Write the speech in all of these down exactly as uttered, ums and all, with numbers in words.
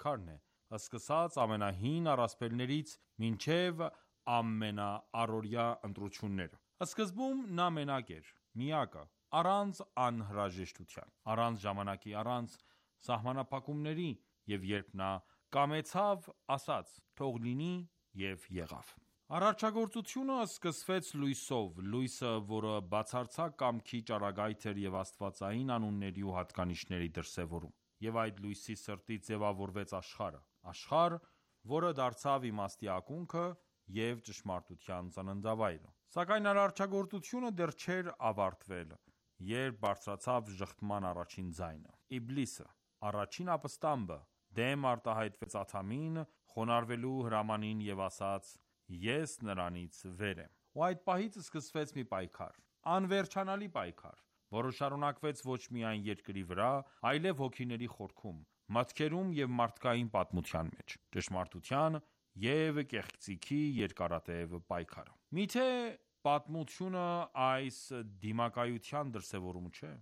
պայքարն է, սկսած ամենահին առասպելներից մինչև ամենաառօրյա ընտրությունները։ Սկզբում նա մենակ էր, միակը, առանց անհրաժեշտության, առանց ժամանակի, առանց սահմանափակումների, և երբ նա կամեցավ, ասաց. «Թող լինի», և եղավ։ Արարչագործությունը սկսվեց լույսով, լույսը, որը բացարձակ կամքի ճառագայթ էր և աստվածային անունների ու հատկանիշների դրսևորում։ Եվ այդ լույսի սրտից ձևավորվեց աշխարհը, աշխարհ, որը դարձավ իմաստի ակունքը և ճշմարտության ծննդավայրը։ Սակայն արարչագործությունը դեռ չէր ավարտվել, երբ բարձրացավ ժխտման առաջին ձայնը։ Իբլիսը, առաջին ապստամբը, դեմ արտահայտվեց Ադամին, խոնարհվելու հրամանին և ասաց. «Ես նրանից վեր եմ»։ Ու այդ պահից սկսվեց մի պայքար, անվերջանալի պայքար, որը շարունակվեց ոչ միայն երկրի վրա, այլև հոգիների խորքում, մտքերում և մարդկային պատմության մեջ։ Ճշմարտության և կեղծիքի երկարատև պայքարը։ Միթե պատմությունը այս դիմակայության դրսևորում չէ։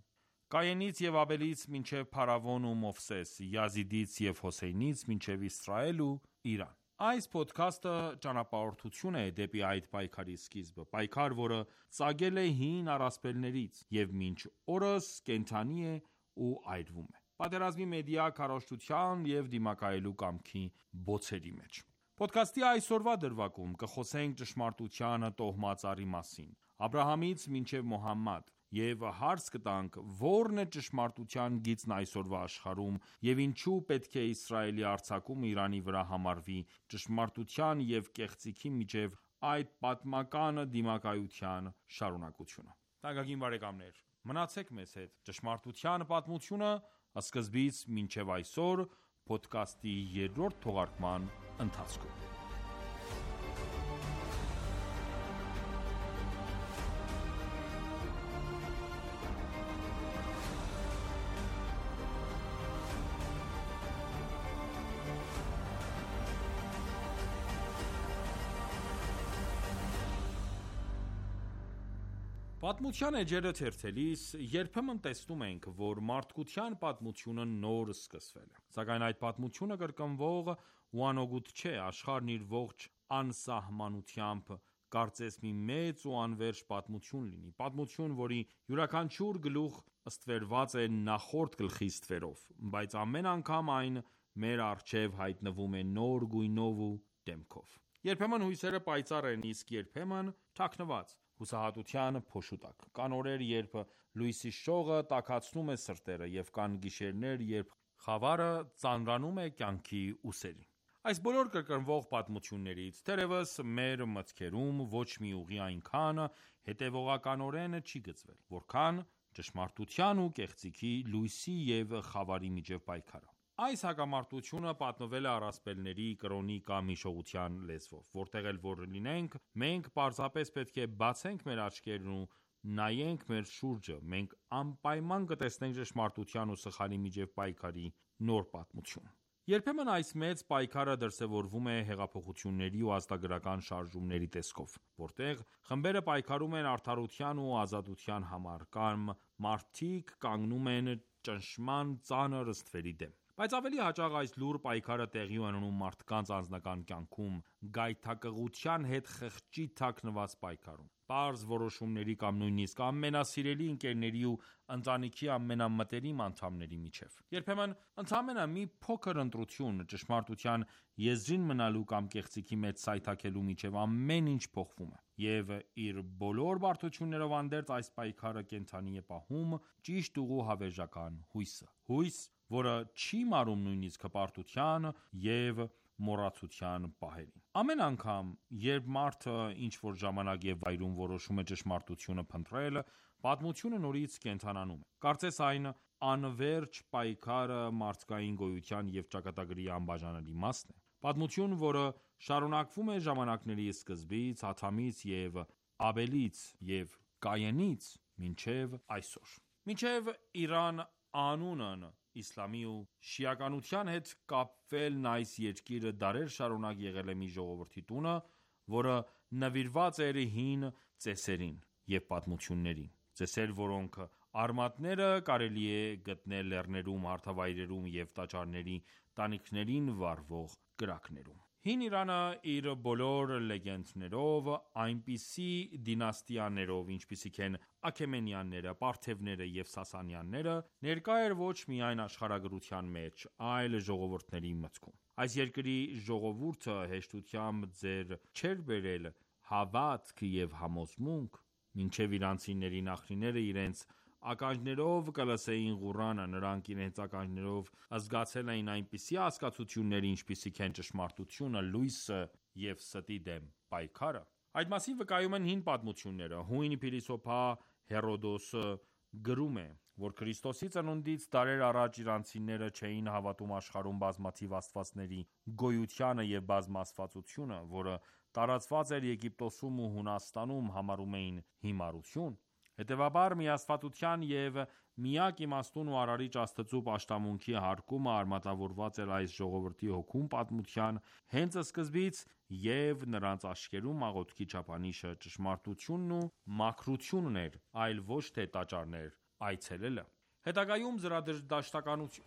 Կայենից և Աբելից մինչև Փարավոն ու Մովսես, Յազիդից և Հոսեյնից մինչև Իսրայել ու Իրան։ Այս փոդքասթը ճանապարհորդություն է դեպի այդ պայքարի սկիզբը, պայքար, որը ծագել է հին առասպելներից և մինչ օրս կենդանի է ու այրվում է, պատերազմի մեդիա քարոզչության և դիմակայելու կամքի բոցերի մեջ։ Փոդքասթի այսօրվա դրվագում կխոսենք ճշմարտության տոհմածառի մասին՝ Աբրահամից մինչև Մոհամմադ, և հարց կտանք. ո՞րն է ճշմարտության գիծն այսօրվա աշխարհում, և ինչու պետք է Իսրայելի արձակումը Իրանի վրա համարվի ճշմարտության և կեղծիքի միջև այդ պատմական դիմակայության շարունակությունը։ Թանկագին բարեկամներ, մնացեք մեզ հետ «Ճշմարտության պատմությունը» սկզբից մինչև այսօր փոդքասթի երրորդ թողարկման ընթացքում։ Պատմության էջերը թերթելիս երբեմն տեսնում ենք, որ մարդկության պատմությունը նոր սկսվել է։ Սակայն այդ պատմությունը կրկնվող ու անօգուտ չէ։ Աշխարհն իր ողջ անսահմանությամբ կարծես մի մեծ ու անվերջ պատմություն լինի։ Պատմություն, որի յուրաքանչյուր գլուխ ստվերված է նախորդ գլխի ստվերով, բայց ամեն անգամ այն մեր առջև հայտնվում է նոր գույնով ու դեմքով։ Երբեմն հույսերը պայծառ են, իսկ երբեմն թաքնված, հուսահատության փոշու տակ։ Կան օրեր, երբ լույսի շողը տաքացնում է սրտերը, և կան գիշերներ, երբ խավարը ծանրանում է կյանքի ուսերին։ Այս բոլոր կրկնվող պատմություններից, թերևս, մեր մտքերում ոչ մի ուղի այնքան հետևողականորեն չի գծվել, որքան ճշմարտության ու կեղծիքի, լույսի և խավարի միջև պայքարը։ Այս հակամարտությունը պատմվել է առասպելների, կրոնի կամ հիշողության լեզվով։ Որտեղ էլ որ լինենք, մենք պարզապես պետք է բացենք մեր աչքերն ու նայենք մեր շուրջը, մենք անպայման կտեսնենք ճշմարտության ու սխալի միջև պայքարի նոր պատմություն։ Երբեմն այս մեծ պայքարը դրսևորվում է հեղափոխությունների ու ազատագրական շարժումների տեսքով, որտեղ խմբերը պայքարում են արդարության ու ազատության համար, կամ մարդիկ կանգնում են ճնշման ծանր ստվերի դեմ։ Բայց ավելի հաճախ այս լուռ պայքարը տեղի է ունենում մարդկանց անձնական կյանքում, գայթակղության հետ խղճի թաքնված պայքարում, պարզ որոշումների կամ նույնիսկ ամենասիրելի ընկերների ու ընտանիքի ամենամտերիմ անդամների միջև։ Երբեմն ընդամենը մի փոքր ընտրություն, ճշմարտության եզրին մնալու կամ կեղծիքի մեջ սայթաքելու միջև ամեն ինչ փոխվում է։ Եվ իր բոլոր բարդություններով հանդերձ, այս պայքարը կենդանի է պահում ճիշտ ուղու հավերժական հույսը։ Հույս, որը չի մարում նույնիսկ հպարտության և մոռացության պահերին։ Ամեն անգամ, երբ մարդը ինչ-որ ժամանակ և վայրում որոշում է ճշմարտությունը փնտրել, պատմությունը նորից կենդանանում է։ Կարծես այն անվերջ պայքարը մարդկային գոյության և ճակատագրի անբաժանելի մասն է։ Պատմություն, որը շարունակվում է ժամանակների սկզբից, Ադամից և Աբելից և Կայենից մինչև այսօր։ Մինչև Իրան անունն իսլամի ու շիականության հետ կապվելն այս երկիրը դարեր շարունակ եղել է մի ժողովրդի տունը, որը նվիրված էր հին ծեսերին և պատմություններին, ծեսեր, որոնք Արմատները կարելի է գտնել լեռներում, հարթավայրերում և տաճարների տանիքներին վառվող կրակներում։ Հին Իրանը իր բոլոր լեգենդներով, այնպիսի դինաստիաներով, ինչպիսիք են Աքեմենյանները, Պարթևները և Սասանյանները, ներկա էր ոչ միայն աշխարհագրության մեջ, այլ ժողովուրդների մտքում։ Այս երկրի ժողովուրդը հեշտությամբ ձեռ չէր բերել հավատք և համոզմունք, մինչև իրանցիների նախնիները իրենց ականջներով կլսեին Ղուրանը, նրանք իրենց ականջներով զգացել էին այնպիսի հասկացություններ, ինչպիսիք են ճշմարտությունը, լույսը և ստի դեմ պայքարը։ Այդ մասին վկայում են հին պատմությունները։ Հույն փիլիսոփա Հերոդոսը գրում է, որ Քրիստոսի ծնունդից դարեր առաջ իրանցիները չէին հավատում աշխարհում բազմաթիվ աստվածների գոյությանը և բազմաստվածությունը, որը տարածված էր Եգիպտոսում ու Հունաստանում, համարում էին հիմարություն։ Հետևաբար, միաստվածության և միակ իմաստուն ու արարիչ Աստծու պաշտամունքի հարկումը արմատավորված էր այս ժողովրդի հոգում պատմության հենց սկզբից, և նրանց աչքերում աղոթքի չափանիշը ճշմարտությունն ու մաքրությունն էր, այլ ոչ թե տաճարներ այցելելը։ Հետագայում զրադաշտականություն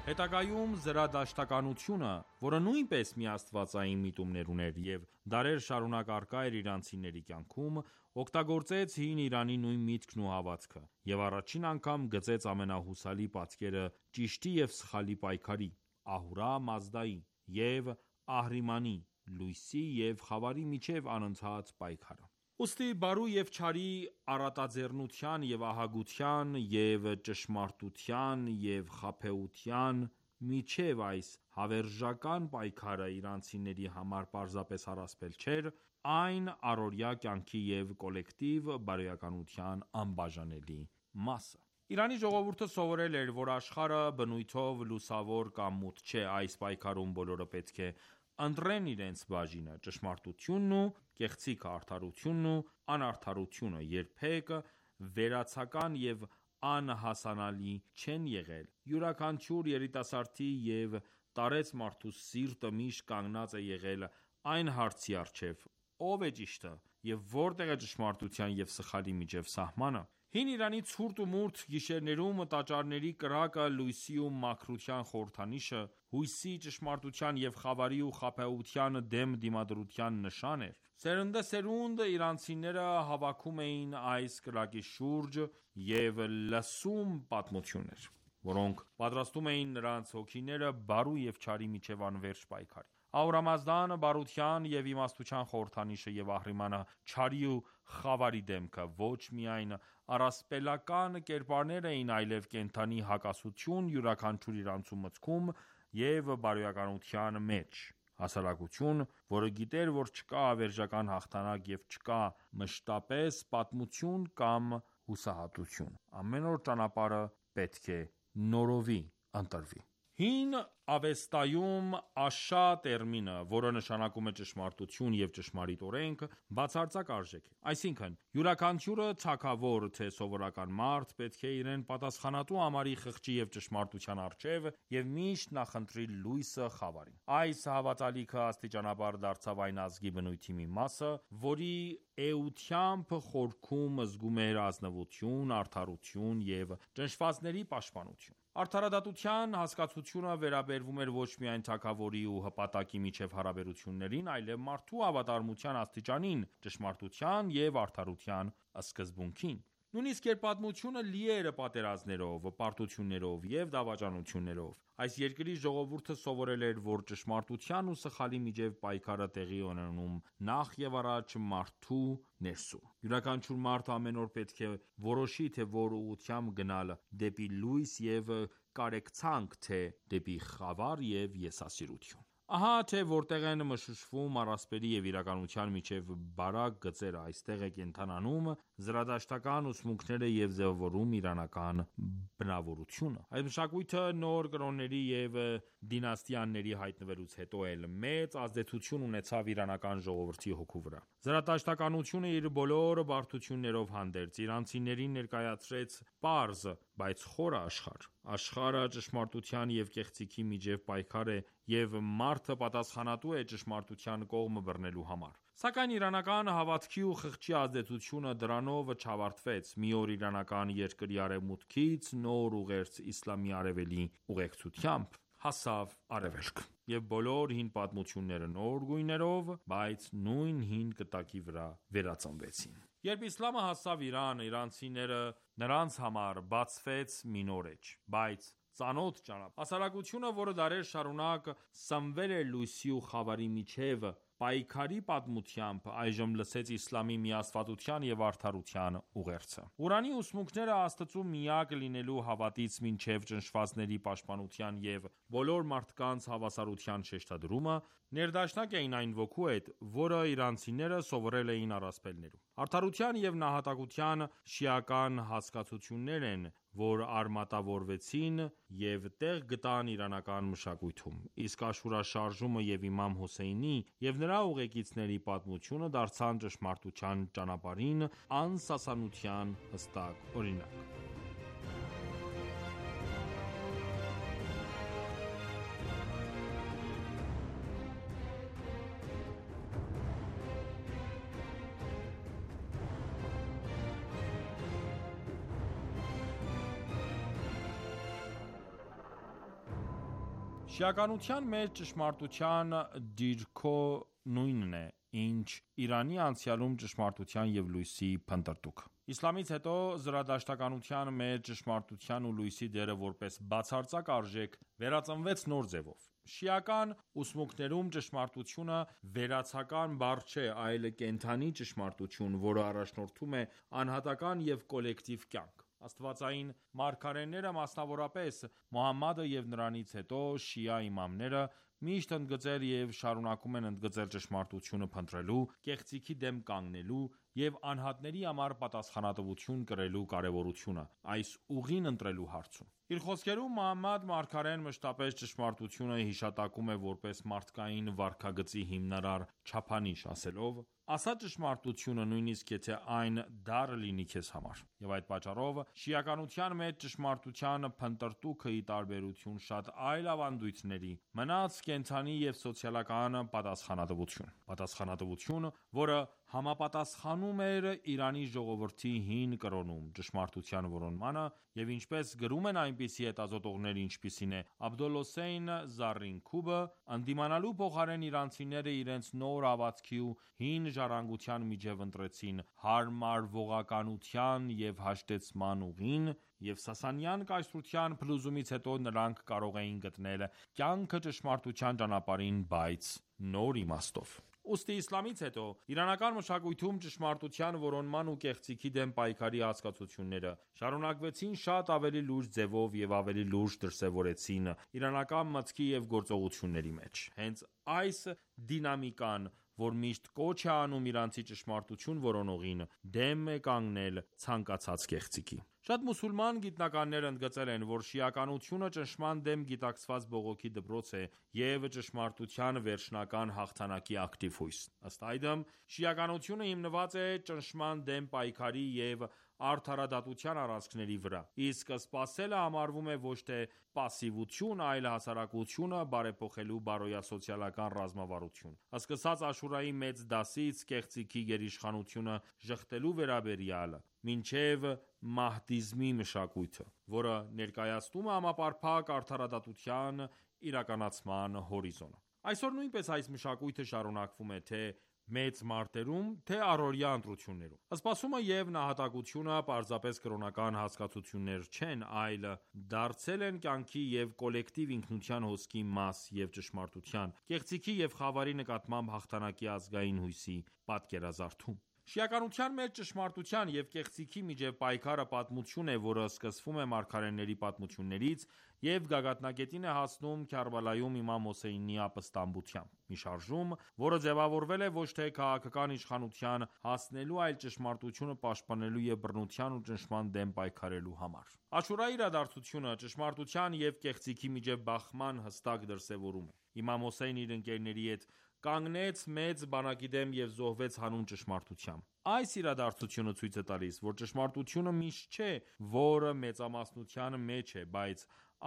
Հետագայում զրադաշտականությունը, որը նույնպես միաստվածային միտումներ ուներ և դարեր շարունակ առկա էր իրանցիների կյանքում, օգտագործեց հին Իրանի նույն միտքն ու հավատքը, և առաջին անգամ գծեց ամենահուսալի պատկերը ճիշտի և սխալի պայքարի՝ Ահուրա Մազդայի և Ահրիմանի, լույսի և խավարի միջև անընդհատ պայքարը։ Ուստի բարու և չարի առատաձեռնության և ահագության և ճշմարտության և խաբեության միջև այս հավերժական պայքարը իրանցիների համար պարզապես առասպել չէր, այն առօրյա կյանքի և կոլեկտիվ բարոյականության անբաժանելի մասը։ Իրանի ժողովուրդը սովորել էր, որ աշխարհը բնույթով լուսավոր կամ մութ չէ։ Այս պայքարում բոլորը պետք է ընտրեն իրենց բաժինը։ Ճշմարտությունն ու կեղծիքը, արդարությունն ու անարդարությունը երբեք վերացական և անհասանալի չեն եղել։ Յուրաքանչյուր երիտասարդի և տարեց մարդու սիրտը միշտ կանգնած է եղել այն հարցի առջև՝ ո՞վ է ճիշտը և որտե՞ղ է ճշմարտության և սխալի միջև սահմանը։ Հին Իրանի ցուրտ ու մութ գիշերներում տաճարների կրակը լույսի ու մաքրության խորհրդանիշը, հույսի, ճշմարտության և խավարի ու խաբեության դեմ դիմադրության նշան էր։ Սերնդեսերունդ իրանցիները հավաքում էին այս կրակի շուրջ և լսում պատմություններ, որոնք պատրաստում էին նրանց հոգիները բարու և չարի միջև անվերջ պայքարի։ Ահուրամազդան բարության և իմաստության խորհրդանիշը և Ահրիմանը չարի ու խավարի դեմքը ոչ միայն առասպելական կերպարներ էին, այլև կենդանի հակասություն յուրաքանչյուր իրանցու մտքում և բարոյականության մեջ։ Հասարակություն, որը գիտեր, որ չկա հավերժական հաղթանակ և չկա մշտապես պատմություն կամ հուսահատություն։ Ամեն օր ճանապարհը պետք է նորովի ընտրվի։ Հին Ավեստայում Աշա տերմինը, որը նշանակում է ճշմարտություն և ճշմարիտ օրենք, բացարձակ արժեք է։ Այսինքն՝ յուրաքանչյուրը թագավոր, թե սովորական մարդ, պետք է իրեն պատասխանատու համարի խղճի և ճշմարտության առջև և միշտ նախընտրի լույսը խավարին։ Այս հավատալիքը աստիճանաբար դարձավ այն ազգի բնույթի մի մասը, որի էությամբ խորքում զգում էր ազնվություն, արդարություն և ճնշվածների պաշտպանություն։ Արդարադատության հասկացությունը վերաբերվում էր ոչ միայն թագավորի ու հպատակի միջև հարաբերություններին, այլև մարդու հավատարմության աստիճանին, ճշմարտության և արդարության սկզբունքին։ Նույնիսկ երբ պատմությունը լի էր պատերազմներով, պարտություններով և դավաճանություններով, այս երկրի ժողովուրդը սովորել էր, որ ճշմարտության ու սխալի միջև պայքարը տեղի է ունենում նախ և առաջ մարդու ներսում։ Յուրաքանչյուր մարդ ամեն օր պետք է որոշի, թե որ ուղղությամբ գնալ՝ դեպի լույս և կարեկցանք, թե դեպի խավար և եսասիրություն։ Ահա թե որտեղ են մշուշվում առասպելի և իրականության միջև բարակ գծերը, այստեղ է կենդանանում զրադաշտական ուսմունքները և ձևավորում իրանական բնավորությունը: Այս մշակույթը նոր կրոնների և դինաստիաների հայտնվելուց հետո էլ մեծ ազդեցություն ունեցավ իրանական ժողովրդի հոգու վրա: Զրադաշտականությունը իր բոլոր բարդություններով հանդերձ, իրանցիներին ներկայացրեց պարզ, բայց խորը աշխարհ: Աշխարհը ճշմարտության և կեղծիքի միջև պայքար է և մարդը պատասխանատու է ճշմարտության կողմը բռնելու համար: Սակայն իրանական հավատքի ու խղճի ազդեցությունը դրանով չավարտվեց: Մի օր իրանական երկրի արևմուտքից նոր ուղերձ իսլամի արևելի ուղեկցությամբ հասավ արևելք: Եվ բոլոր հին պատմությունները նոր գույներով, բայց նույն հին կտակի վրա վերածնվեցին: Երբ իսլամը հասավ Իրան, իրանցիները նրանց համար բացվեց մի նոր էջ, բայց ծանոթ ճանապարհ: Հասարակությունը, որը դարեր շարունակ սնվել էր լույսի ու խավարի միջև պայքարի պատմությամբ, այժմ լսեց իսլամի միաստվածության և արդարության ուղերձը: Ղուրանի ուսմունքները, Աստծու միակ լինելու հավատից մինչև ճնշվածների պաշտպանության և բոլոր մարդկանց հավասարության շեշտադրումը, ներդաշնակ էին այն ոգու հետ, որը իրանցիները սովորել էին առասպելներում: Արդարության և նահատակության շիական հասկացություններ են, որ արմատավորվեցին և տեղ գտան իրանական մշակույթում: Իսկ Աշուրա շարժումը և իմամ Հոսեյնի և նրա ուղեկիցների պատմությունը դարձան ճշմարտության ճանապարհին անսասանության հստակ օրինակ: Շիականության մեջ ճշմարտության դիրքո նույնն է, ինչ Իրանի անցյալում ճշմարտության և լույսի փնտրտուքը: Իսլամից հետո զրադաշտականության մեջ ճշմարտության ու լույսի դերը որպես բացարձակ արժեք վերածնվեց նոր ձևով: Շիական ուսմունքներում ճշմարտությունը վերացական բառ չէ, այլ կենդանի ճշմարտություն, որը առաջնորդում է անհատական և կոլեկտիվ կյանք: Աստվածային մարգարեները, մասնավորապես Մոհամմադը և նրանից հետո շիա իմամները, միշտ ընդգծել և շարունակում են ընդգծել ճշմարտությունը փնտրելու, կեղծիքի դեմ կանգնելու և անհատների համար պատասխանատվություն կրելու կարևորությունը, այս ուղին ընտրելու հարցում: Իր խոսքերում Մոհամմադ մարգարեն մշտապես ճշմարտությունը հիշատակում է որպես մարդկային վարքագծի հիմնարար չափանիշ, ասելով. «Ասա ճշմարտությունը, նույնիսկ եթե այն դառը լինի քեզ համար»: Եվ այդ պատճառով, շիականության մեջ ճշմարտության փնտրտուքը, ի տարբերություն շատ այլ ավանդույթների, մնաց կենդանի և սոցիալական պատասխանատվություն: Պատասխանատվություն, որը համապատասխանում էր Իրանի ժողովրդի հին կրոնում ճշմարտության որոնմանը և ինչպես գրում են այնպիսի հետազոտողներ, ինչպիսին է Աբոլհոսեյն Զառինքուբը, ընդդիմանալու փոխարեն իրանցիները իրենց նոր հավատքի ու հին ժառանգության միջև ընտրեցին հարմարվողականության և հաշտեցման ուղին և Սասանյան կայսրության փլուզումից հետո նրանք կարող էին գտնել կյանքը ճշմարտության ճանապարհին, բայց նոր իմաստով: Ուստի իսլամից հետո իրանական մշակույթում ճշմարտության որոնման ու կեղծիքի դեմ պայքարի հասկացությունները շարունակվեցին շատ ավելի լուրջ ձևով և ավելի լուրջ դրսևորվեցին իրանական մտքի և գործողությունների մեջ: Հենց այս դինամիկան, որ միշտ կոչ է անում իրանցի ճշմարտություն որոնողին, դեմ է կանգնել ցանկացած կեղծիքի: Շատ մուսուլման գիտնականներ ընդգծել են, որ շիականությունը ճնշման դեմ գիտակցված բողոքի դպրոց է և ճշմարտության վերջնական հաղթանակի ակտիվ հույս: Ըստ այդմ, շիականությունը հիմնված է ճնշման դեմ պայքարի և արդարադատության առանցքների վրա, իսկ սպասելը համարվում է ոչ թե պասիվություն, այլ հասարակությունը բարեփոխելու բարոյասոցիալական ռազմավարություն: Սկսած Աշուրայի մեծ դասից կեղծիքի գերիշխանությունը ժխտելու վերաբերյալ, մինչև մահդիզմի մշակույթը, որը ներկայացնում է համապարփակ արդարադատության իրականացման հորիզոնը: Այսօր նույնպես այս մշակույթը շարունակվում է թե մեծ մարտերում, թե առօրյա ընտրություններում: Սպասումը և նահատակությունը պարզապես կրոնական հասկացություններ չեն, այլ դարձել են կյանքի և կոլեկտիվ ինքնության հոսքի մաս և ճշմարտության, կեղծիքի և խավարի նկատմամբ հաղթանակի ազգային հույսի պատկերազարդում: Շիականության մեջ ճշմարտության և կեղծիքի միջև պայքարը պատմություն է, որը սկսվում է մարգարեների պատմություններից և գագաթնակետին է հասնում Քարբալայում իմամ Հոսեյնի ապստամբությամբ: Մի շարժում, որը ձևավորվել է ոչ թե քաղաքական իշխանության հասնելու, այլ ճշմարտությունը պաշտպանելու և բռնության ու ճնշման դեմ պայքարելու համար: Աշուրայի իրադարձությունը ճշմարտության և կեղծիքի միջև բախման հստակ դրսևորում է: Իմամ Հոսեյնը իր ընկերների հետ կանգնեց մեծ բանակի դեմ և զոհվեց հանուն ճշմարտության: Այս իրադարձությունը ցույց է տալիս, որ ճշմարտությունը միշտ չէ, որ մեծամասնության մեջ է, բայց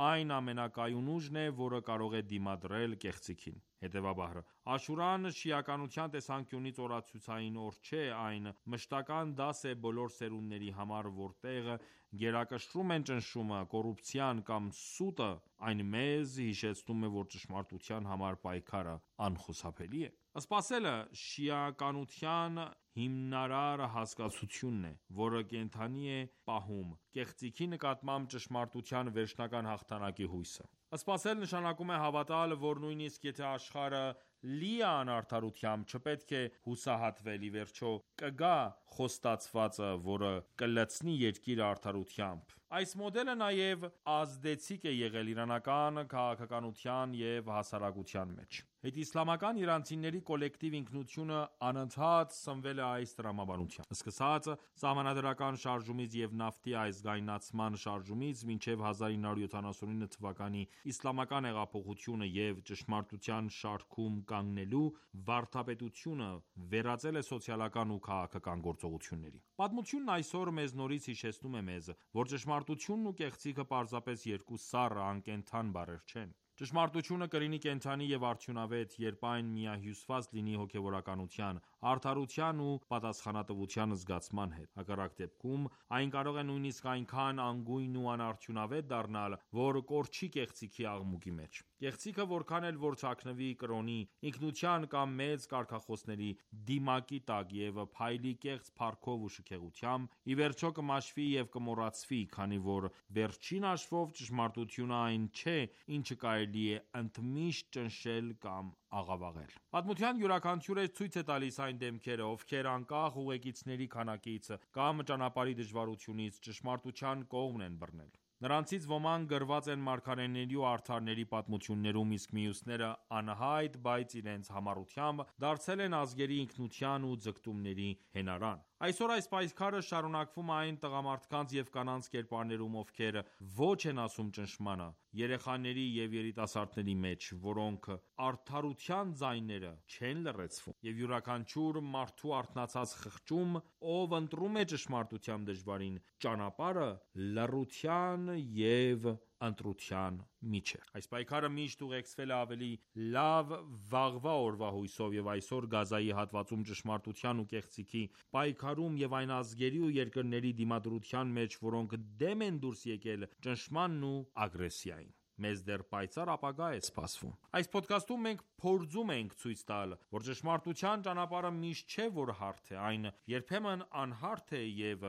այն ամենակայուն ուժն է, որը կարող է դիմադրել կեղծիքին: Հետևաբար, Աշուրան շիականության տեսանկյունից օրացուցային օր չէ, այն մշտական դաս է բոլոր սերունդների համար, որտեղ գերակշռում են ճնշումը, կոռուպցիան կամ սուտը, այն մեզ հիշեցնում է, որ ճշմարտության համար պայքարը անխուսափելի է: Սպասելը շիականության հիմնարար հասկացությունն է, որը կենդանի է պահում կեղծիքի նկատմամբ ճշմարտության վերջնական հաղթանակի հույսը: Սպասել նշանակում է հավատալ, որ նույնիսկ եթե աշխարհը լի է անարդարությամբ, չպետք է հուսահատվել, ի վերջո կգա խոստացվածը, որը կլցնի երկիրը արդարությամբ: Այս մոդելը նաև ազդեցիկ է եղել իրանական քաղաքականության և հասարակության մեջ: Հետիսլամական իրանցիների կոլեկտիվ ինքնությունը անընդհատ սնվել է այս տրամաբանությամբ: Սկսած սահմանադրական շարժումից և նավթի ազգայնացման շարժումից, մինչև հազար ինը հարյուր յոթանասունինը թվականի իսլամական հեղափոխությունը և ճշմարտության շարքում կանգնելու, վարդապետությունը վերածել է սոցիալական ու քաղաքական գործողությունների: Պատմությունն այսօր մեզ նորից հիշեցնում է մեզ, որ ճշմարտությունն ու կեղծիքը պարզապես երկու սառը, անկենդան բառեր չեն: Ճշմարտությունը կլինի կենդանի և արդյունավետ, երբ այն միահյուսված լինի հոգևորականության, արդարության ու պատասխանատվության զգացման հետ: Հակառակ դեպքում, այն կարող է նույնիսկ այնքան անգույն ու անարդյունավետ դառնալ, որ կորչի կեղծիքի աղմուկի մեջ: Կեղծիքը որքան էլ որ թաքնվի կրոնի, ինքնության կամ մեծ կարգախոսների դիմակի տակ և փայլի կեղծ փառքով ու շքեղությամբ, ի վերջո կմաշվի և կմոռացվի, քանի որ վերջին հաշվով ճշմարտությունը այն չէ, ինչը կարելի է ընդմիշտ ճնշել կամ աղավաղել: Պատմության յուրաքանչյուրը ցույց է տալիս այն դեմքերը, ովքեր անկախ ուղեկիցների քանակից կամ ճանապարհի դժվարությունից, ճշմարտության կողմն են բռնել: Նրանցից ոմանք գրված են մարգարեների ու արդարների պատմություններում, իսկ մյուսները անհայտ, բայց իրենց համառությամբ դարձել են ազգերի ինքնության ու ձգտումների հենարան: Այսօր այս պայքարը շարունակվում է այն տղամարդկանց և կանանց կերպարներում, ովքեր ոչ են ասում ճնշմանը, երեխաների և երիտասարդների մեջ, որոնք արդարության ձայները չեն լռեցվում: Եվ յուրաքանչյուր մարդու արթնացած խղճում, ով ընտրում է ճշմարտության դժվարին ճանապարհը, լռության և ընտրության միջև: Այս պայքարը միշտ ուղեկցվել է ավելի լավ վաղվա օրվա հույսով և այսօր Գազայի հատվածում ճշմարտության ու կեղծիքի պայքարում և այն ազգերի ու երկրների դիմադրության մեջ, որոնք դեմ են դուրս եկել ճնշմանն ու ագրեսիային: Մեզ դեռ պայծառ ապագա է սպասվում: Այս փոդքասթում մենք փորձում ենք ցույց տալ, որ ճշմարտության ճանապարհը միշտ չէ, որ հարթ է: Այն երբեմն անհարթ է և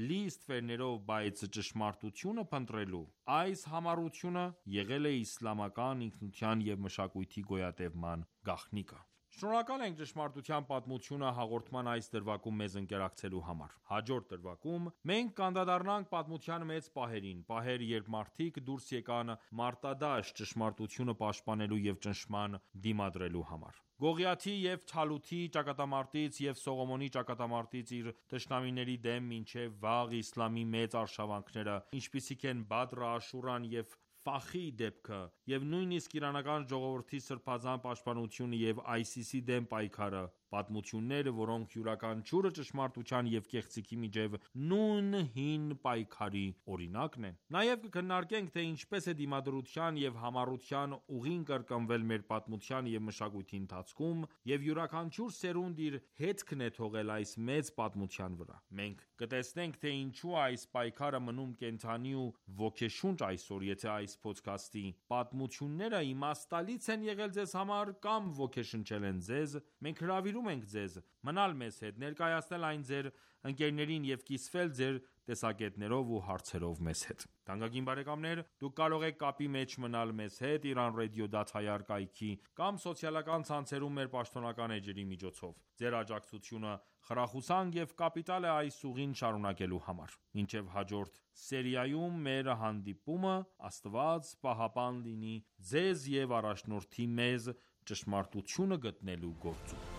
լի ստվերներով, բայց ճշմարտությունը փնտրելու այս համառությունը եղել է իսլամական ինքնության և մշակույթի գոյատևման գաղտնիքը: Շնորհակալ ենք «Ճշմարտության պատմությունը» հաղորդման այս դրվագում մեզ ընկերակցելու համար: Հաջորդ դրվագում մենք կանդրադառնանք պատմության մեծ պահերին: Պահեր, երբ մարդիկ դուրս եկան մարտադաշտ ճշմարտությունը պաշտպանելու և ճնշման դիմադրելու համար: Գողիաթի և Թալութի ճակատամարտից և Սողոմոնի ճակատամարտից իր թշնամիների դեմ մինչև վաղ իսլամի մեծ արշավանքները, ինչպիսիք են Բադրը, Աշուրան և Ֆախի դեպքը և նույնիսկ իրանական ժողովրդի սրբազան պաշտպանությունը և այսիսի դեմ պայքարը, պատմություններ, որոնք յուրաքանչյուրը ճշմարտության և կեղծիքի միջև նույն հին պայքարի օրինակն են: Նաև կքննարկենք, թե ինչպես է դիմադրության և համառության ուղին կրկնվել մեր պատմության և մշակույթի ընթացքում և յուրաքանչյուր սերունդ իր հետքն է թողել այս մեծ պատմության վրա: Մենք կտեսնենք, թե ինչու է այս պայքարը մնում կենդանի ու ոգեշունչ այսօր: Եթե այս փոդքասթի պատմությունները իմաստալից են եղել ձեզ համար կամ ոգեշնչել են ձեզ, մենք հրավիրում ենք ձեզ մնալ մեզ հետ, ներկայացնել այն ձեր ընկերներին և կիսվել ձեր տեսակետներով ու հարցերով մեզ հետ։ Թանկագին բարեկամներ, դուք կարող եք կապի մեջ մնալ մեզ հետ Iran Radio դատայար կայքի կամ սոցիալական ցանցերում մեր պաշտոնական էջերի միջոցով։ Ձեր աջակցությունը խրախուսանք և կապիտալ է այս ուղին շարունակելու համար։ Մինչև հաջորդ սերիայում մեր հանդիպումը Աստված պահապան լինի ձեզ և առաջնորդի մեզ ճշմարտությունը գտնելու գործում։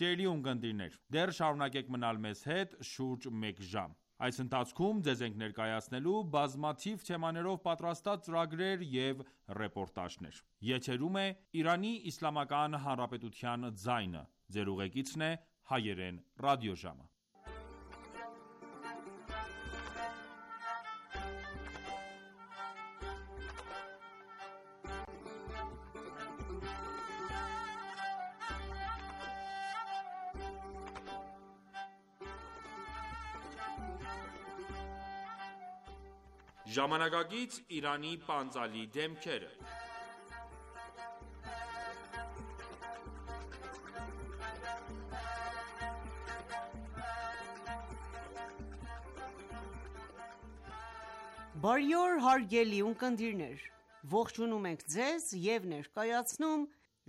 Սիրելի ունկնդիրներ, դեռ շարունակեք մնալ մեզ հետ շուրջ մեկ ժամ։ Այս ընթացքում ձեզ ենք ներկայացնելու բազմաթիվ թեմաներով պատրաստած ծրագրեր և ռեպորտաժներ։ Եթերում է Իրանի Իսլամական Հանրապետության ձայնը։ Ձեր ուղեկիցն է Հայերեն ռադիոժամը։ Ժամանակակից Իրանի պանծալի դեմքերը։ Բարի օր հարգելի ունկնդիրներ, ողջունում ենք ձեզ և ներկայացնում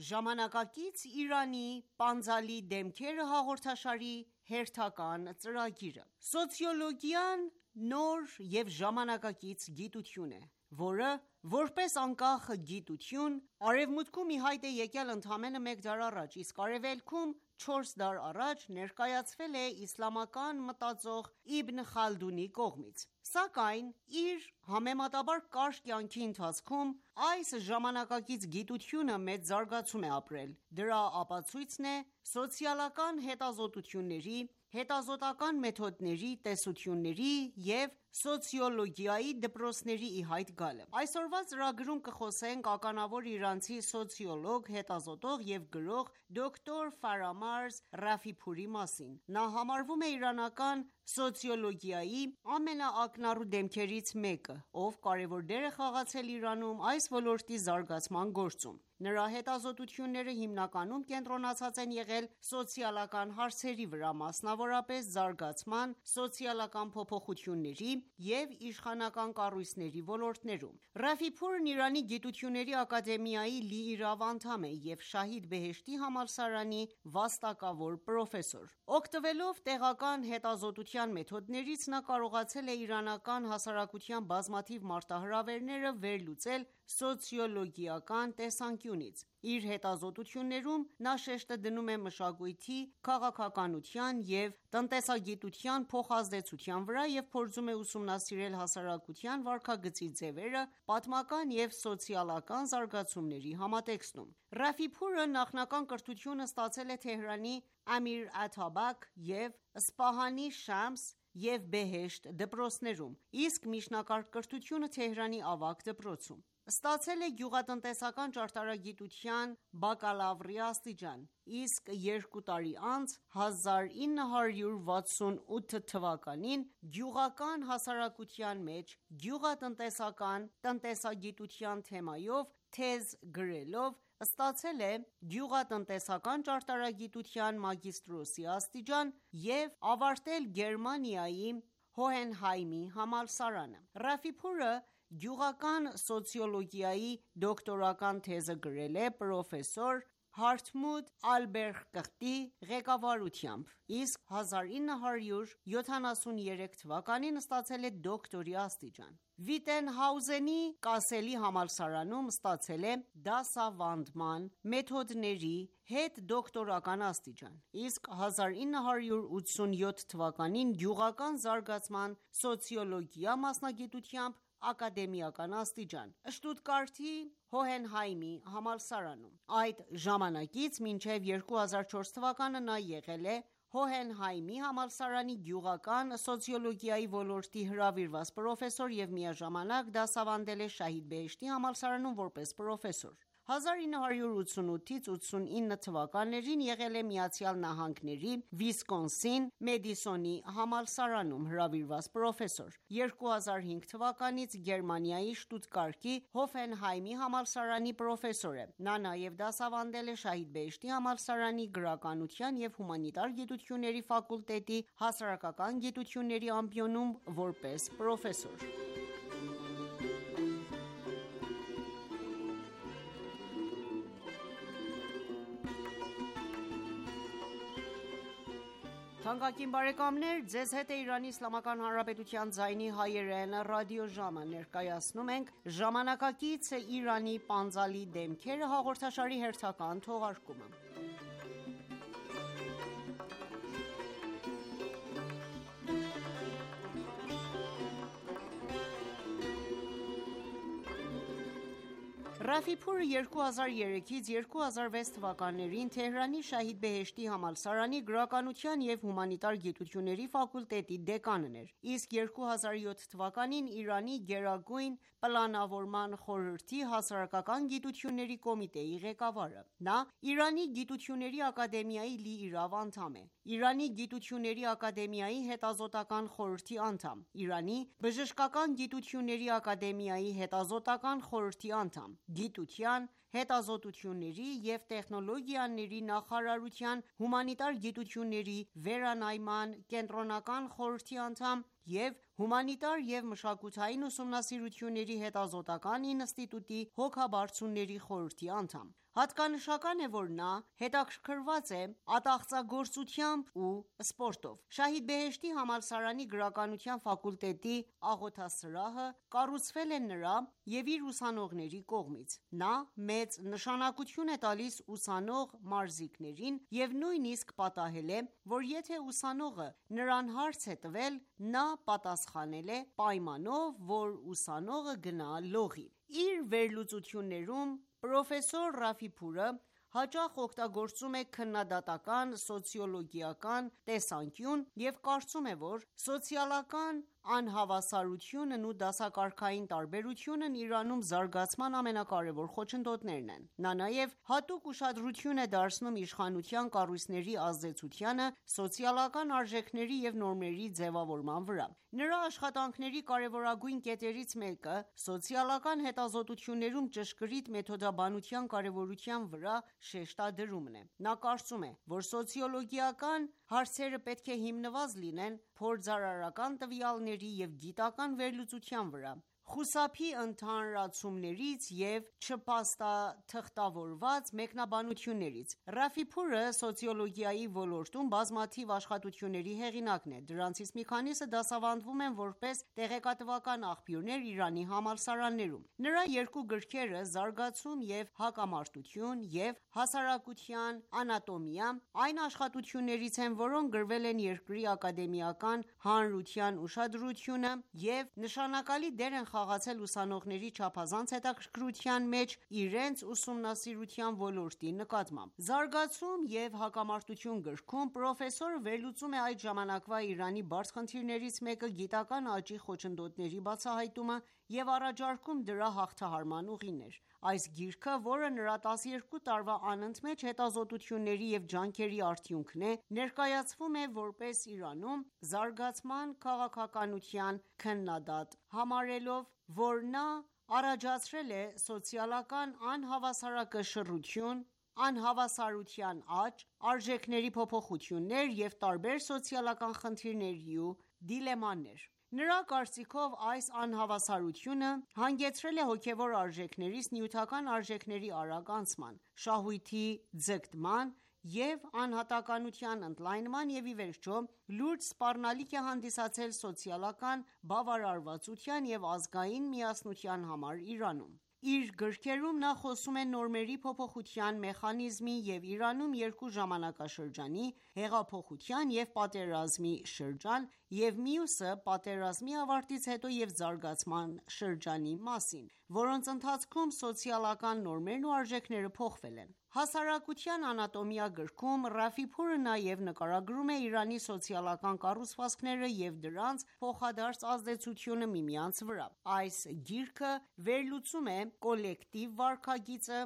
ժամանակակից Իրանի պանծալի դեմքերը հաղորդաշարի հերթական ծրագիրը։ Սոցիոլոգիան նոր և ժամանակակից գիտություն է, որը, որպես անկախ գիտություն, Արևմուտքում ի հայտ է եկել ընդամենը մեկ դար առաջ, իսկ Արևելքում չորս դար առաջ ներկայացվել է իսլամական մտածող Իբն Խալդունի կողմից։ Սակայն իր համեմատաբար կարճ կյանքի ընթացքում այս ժամանակակից գիտությունը մեծ զարգացում է ապրել։ Դրա ապացույցն է սոցիալական հետազոտությունների, հետազոտական մեթոդների, տեսությունների և սոցիոլոգիայի դպրոցների ի հայտ գալը։ Այսօրվա ծրագրում կխոսենք ականավոր իրանցի սոցիոլոգ, հետազոտող և գրող դոկտոր Ֆարամարզ Ռաֆիփուրի մասին։ Նա համարվում է իրանական սոցիոլոգիայի ամենաակնառու դեմքերից մեկը, ով կարևոր դեր է խաղացել Իրանում այս ոլորտի զարգացման գործում։ Նրա հետազոտությունները հիմնականում կենտրոնացած են եղել սոցիալական հարցերի վրա, մասնավորապես զարգացման, սոցիալական փոփոխությունների և իշխանական կառույցների ոլորտներում։ Ռաֆիփուրն Իրանի գիտությունների ակադեմիայի լիիրավ անդամ է և Շահիդ Բեհեշթի համալսարանի վաստակավոր պրոֆեսոր։ Օգտվելով տեղական հետազոտության մեթոդներից, նա կարողացել է իրանական հասարակության բազմաթիվ մարտահրավերները վերլուծել սոցիոլոգիական տեսանկյունից։ Իր հետազոտություններում նա շեշտը դնում է մշակույթի, քաղաքականության և տնտեսագիտության փոխազդեցության վրա և փորձում է ուսումնասիրել հասարակության վարքագծի ձևերը պատմական և սոցիալական զարգացումների համատեքստում։ Ռաֆիփուրը նախնական կրթությունը ստացել է Թեհրանի Ամիր Աթաբաք և Սպահանի Շամս և Բեհեշթ դպրոցներում, իսկ միջնակարգ կրթությունը Թեհրանի Ավագ դպրոցում։ Ստացել է գյուղատնտեսական ճարտարագիտության բակալավրի աստիճան, իսկ երկու տարի անց հազար ինը հարյուր վաթսուն ութ թվականին գյուղական հասարակության մեջ գյուղատնտեսական տնտեսագիտության թեմայով թեզ գրելով ստացել է գյուղատնտեսական ճարտարագիտության մագիստրոսի աստիճան և ավարտել Գերմանիայի Հոհենհայմի համալսարանը։ Ռաֆիփուրը գյուղական սոցիոլոգիայի դոկտորական թեզը գրել է պրոֆեսոր Հարթմուդ Ալբերխտի ղեկավարությամբ, իսկ հազար ինը հարյուր յոթանասուներեք թվականին ստացել է դոկտորի աստիճան։ Վիտենհաուզենի Կասելի համալսարանում ստացել է դասավանդման մեթոդների հետդոկտորական աստիճան, իսկ հազար ինը հարյուր ութսունյոթ թվականին գյուղական զարգացման սոցիոլոգիա մասնագիտությամբ ակադեմիական աստիճան Շտուտգարտի Հոհենհայմի համալսարանում։ Այդ ժամանակից մինչև երկու հազար չորս թվականը նա եղել է Հոհենհայմի համալսարանի գյուղական սոցիոլոգիայի ոլորտի հրավիրված պրոֆեսոր և միաժամանակ դասավանդել է Շահիդ Բեհեշթի համալսարանում որպես պրոֆեսոր: հազար ինը հարյուր ութսունութից ութսունինը թվականներին եղել է Միացյալ Նահանգների Վիսկոնսին Մեդիսոնի համալսարանում հրավիրված պրոֆեսոր: երկու հազար հինգ թվականից Գերմանիայի Շտուտգարտի Հոֆենհայմի համալսարանի պրոֆեսոր է: Նա նաև դասավանդել է Շահիդ Բեհեշթի համալսարանի գրականության և հումանիտար գիտությունների ֆակուլտետի հասարակական գիտությունների ամբիոնում որպես պրոֆեսոր: «Ժամանակակից Իրանի պանծալի դեմքերը» հաղորդաշարի հերթական թողարկումը: Ռաֆիփուրը երկու հազար երեքից երկու հազար վեց թվականներին Թեհրանի Շահիդ Բեհեշթի համալսարանի գրականության և հումանիտար գիտությունների ֆակուլտետի դեկանն էր, իսկ երկու հազար յոթ թվականին Իրանի գերագույն պլանավորման խորհրդի հասարակական գիտությունների կոմիտեի ղեկավարը: Նա Իրանի գիտությունների ակադեմիայի լիիրավ անդամ է, Իրանի գիտությունների ակադեմիայի հետազոտական խորհրդի անդամ, Իրանի բժշկական գիտությունների ակադեմիայի հետազոտական խորհրդի անդամ, Գիտության, հետազոտությունների և տեխնոլոգիաների նախարարության հումանիտար գիտությունների վերանայման կենտրոնական խորհրդի անդամ և հումանիտար և մշակութային ուսումնասիրությունների հետազոտական ինստիտուտի հոգաբարձուների խորհրդի անդամ: Հատկանշական է, որ նա հետաքրքրված է ատաղծագործությամբ ու սպորտով: Շահիդ Բեհեշթի համալսարանի գրականության ֆակուլտետի աղոթասրահը կառուցվել է նրա և իր ուսանողների կողմից: Նա մեծ նշանակություն է տալիս ուսանող մարզիկներին և նույնիսկ պատահել է, որ եթե ուսանողը նրան հարց է տվել, նա պատասխանել է պայմանով, որ ուսանողը գնա լողի: Իր վերլուծություններում պրոֆեսոր Ռաֆիփուրը հաճախ օգտագործում է քննադատական սոցիոլոգիական տեսանկյուն և կարծում է, որ սոցիալական անհավասարությունն ու դասակարգային տարբերությունն Իրանում զարգացման ամենակարևոր խոչընդոտներն են: Նա նաև հատուկ ուշադրություն է դարձնում իշխանության կառույցների ազդեցությանը սոցիալական արժեքների և նորմերի ձևավորման վրա: Նրա աշխատանքների կարևորագույն կետերից մեկը սոցիալական հետազոտություններում ճշգրիտ մեթոդաբանության կարևորության վրա շեշտադրումն է: Նա կարծում է, որ սոցիոլոգիական հարցերը պետք է հիմնված լինեն փորձարարական տվյալների և գիտական վերլուծության վրա, խուսափի ընդհանրացումներից և չփաստաթղթավորված մեկնաբանություններից: Ռաֆիփուրը սոցիոլոգիայի ոլորտում բազմաթիվ աշխատությունների հեղինակն է: Դրանցից մի քանիսը դասավանդվում են որպես տեղեկատվական աղբյուրներ Իրանի համալսարաններում: Նրա երկու գրքերը «Զարգացում և հակամարտություն» և «Հասարակության անատոմիա» այն աշխատություններից են, որոնք գրվել են երկրի ակադեմիական հանրության ուշադրությունը և նշանակալի դեր են խաղացել ուսանողների չափազանց հետաքրքրության մեջ իրենց ուսումնասիրության ոլորտի նկատմամբ: «Զարգացում և հակամարտություն» գրքում պրոֆեսորը վերլուծում է այդ ժամանակվա Իրանի բարդ խնդիրներից մեկը գիտական աճի խոչընդոտների բացահայտումը և առաջարկում դրա հաղթահարման ուղիներ: Այս գիրքը, որը նրա տասներկու տարվա անընդմեջ հետազոտությունների և ջանքերի արդյունքն է, ներկայացվում է որպես Իրանում զարգացման քաղաքականության քննադատ, համարելով, որ նա առաջացրել է սոցիալական անհավասարակշռություն, անհավասարության աճ, արժեքների փոփոխություններ և տարբեր սոցիալական խնդիրներ ու դիլեմաներ: Նրա կարծիքով այս անհավասարությունը հանգեցրել է հոգևոր արժեքներից նյութական արժեքների արագ անցման, շահույթի ձգտման և անհատականության ընդլայնման և ի վերջո լուրջ սպառնալիք է հանդիսացել սոցիալական բավարարվածության և ազգային միասնության համար Իրանում: Իր գրքերում նա խոսում է նորմերի փոփոխության մեխանիզմի և Իրանում երկու ժամանակաշրջանի՝ հեղափոխության և պատերազմի շրջան և մյուսը պատերազմի ավարտից հետո և զարգացման շրջանի մասին, որոնց ընթացքում սոցիալական նորմերն ու արժեքները փոխվել են: «Հասարակության անատոմիա» գրքում Ռաֆիփուրը նաև նկարագրում է Իրանի սոցիալական կառուցվածքները և դրանց փոխադարձ ազդեցությունը միմյանց վրա: Այս գիրքը վերլուծում է կոլեկտիվ վարքագիծը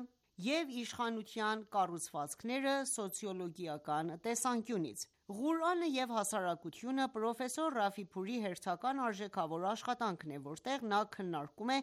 և իշխանության կառուցվածքները սոցիոլոգիական տեսանկյունից: «Ղուրանը և հասարակությունը» պրոֆեսոր Ռաֆիփուրի հերթական արժեքավոր աշխատանքն է, որտեղ նա քննարկում է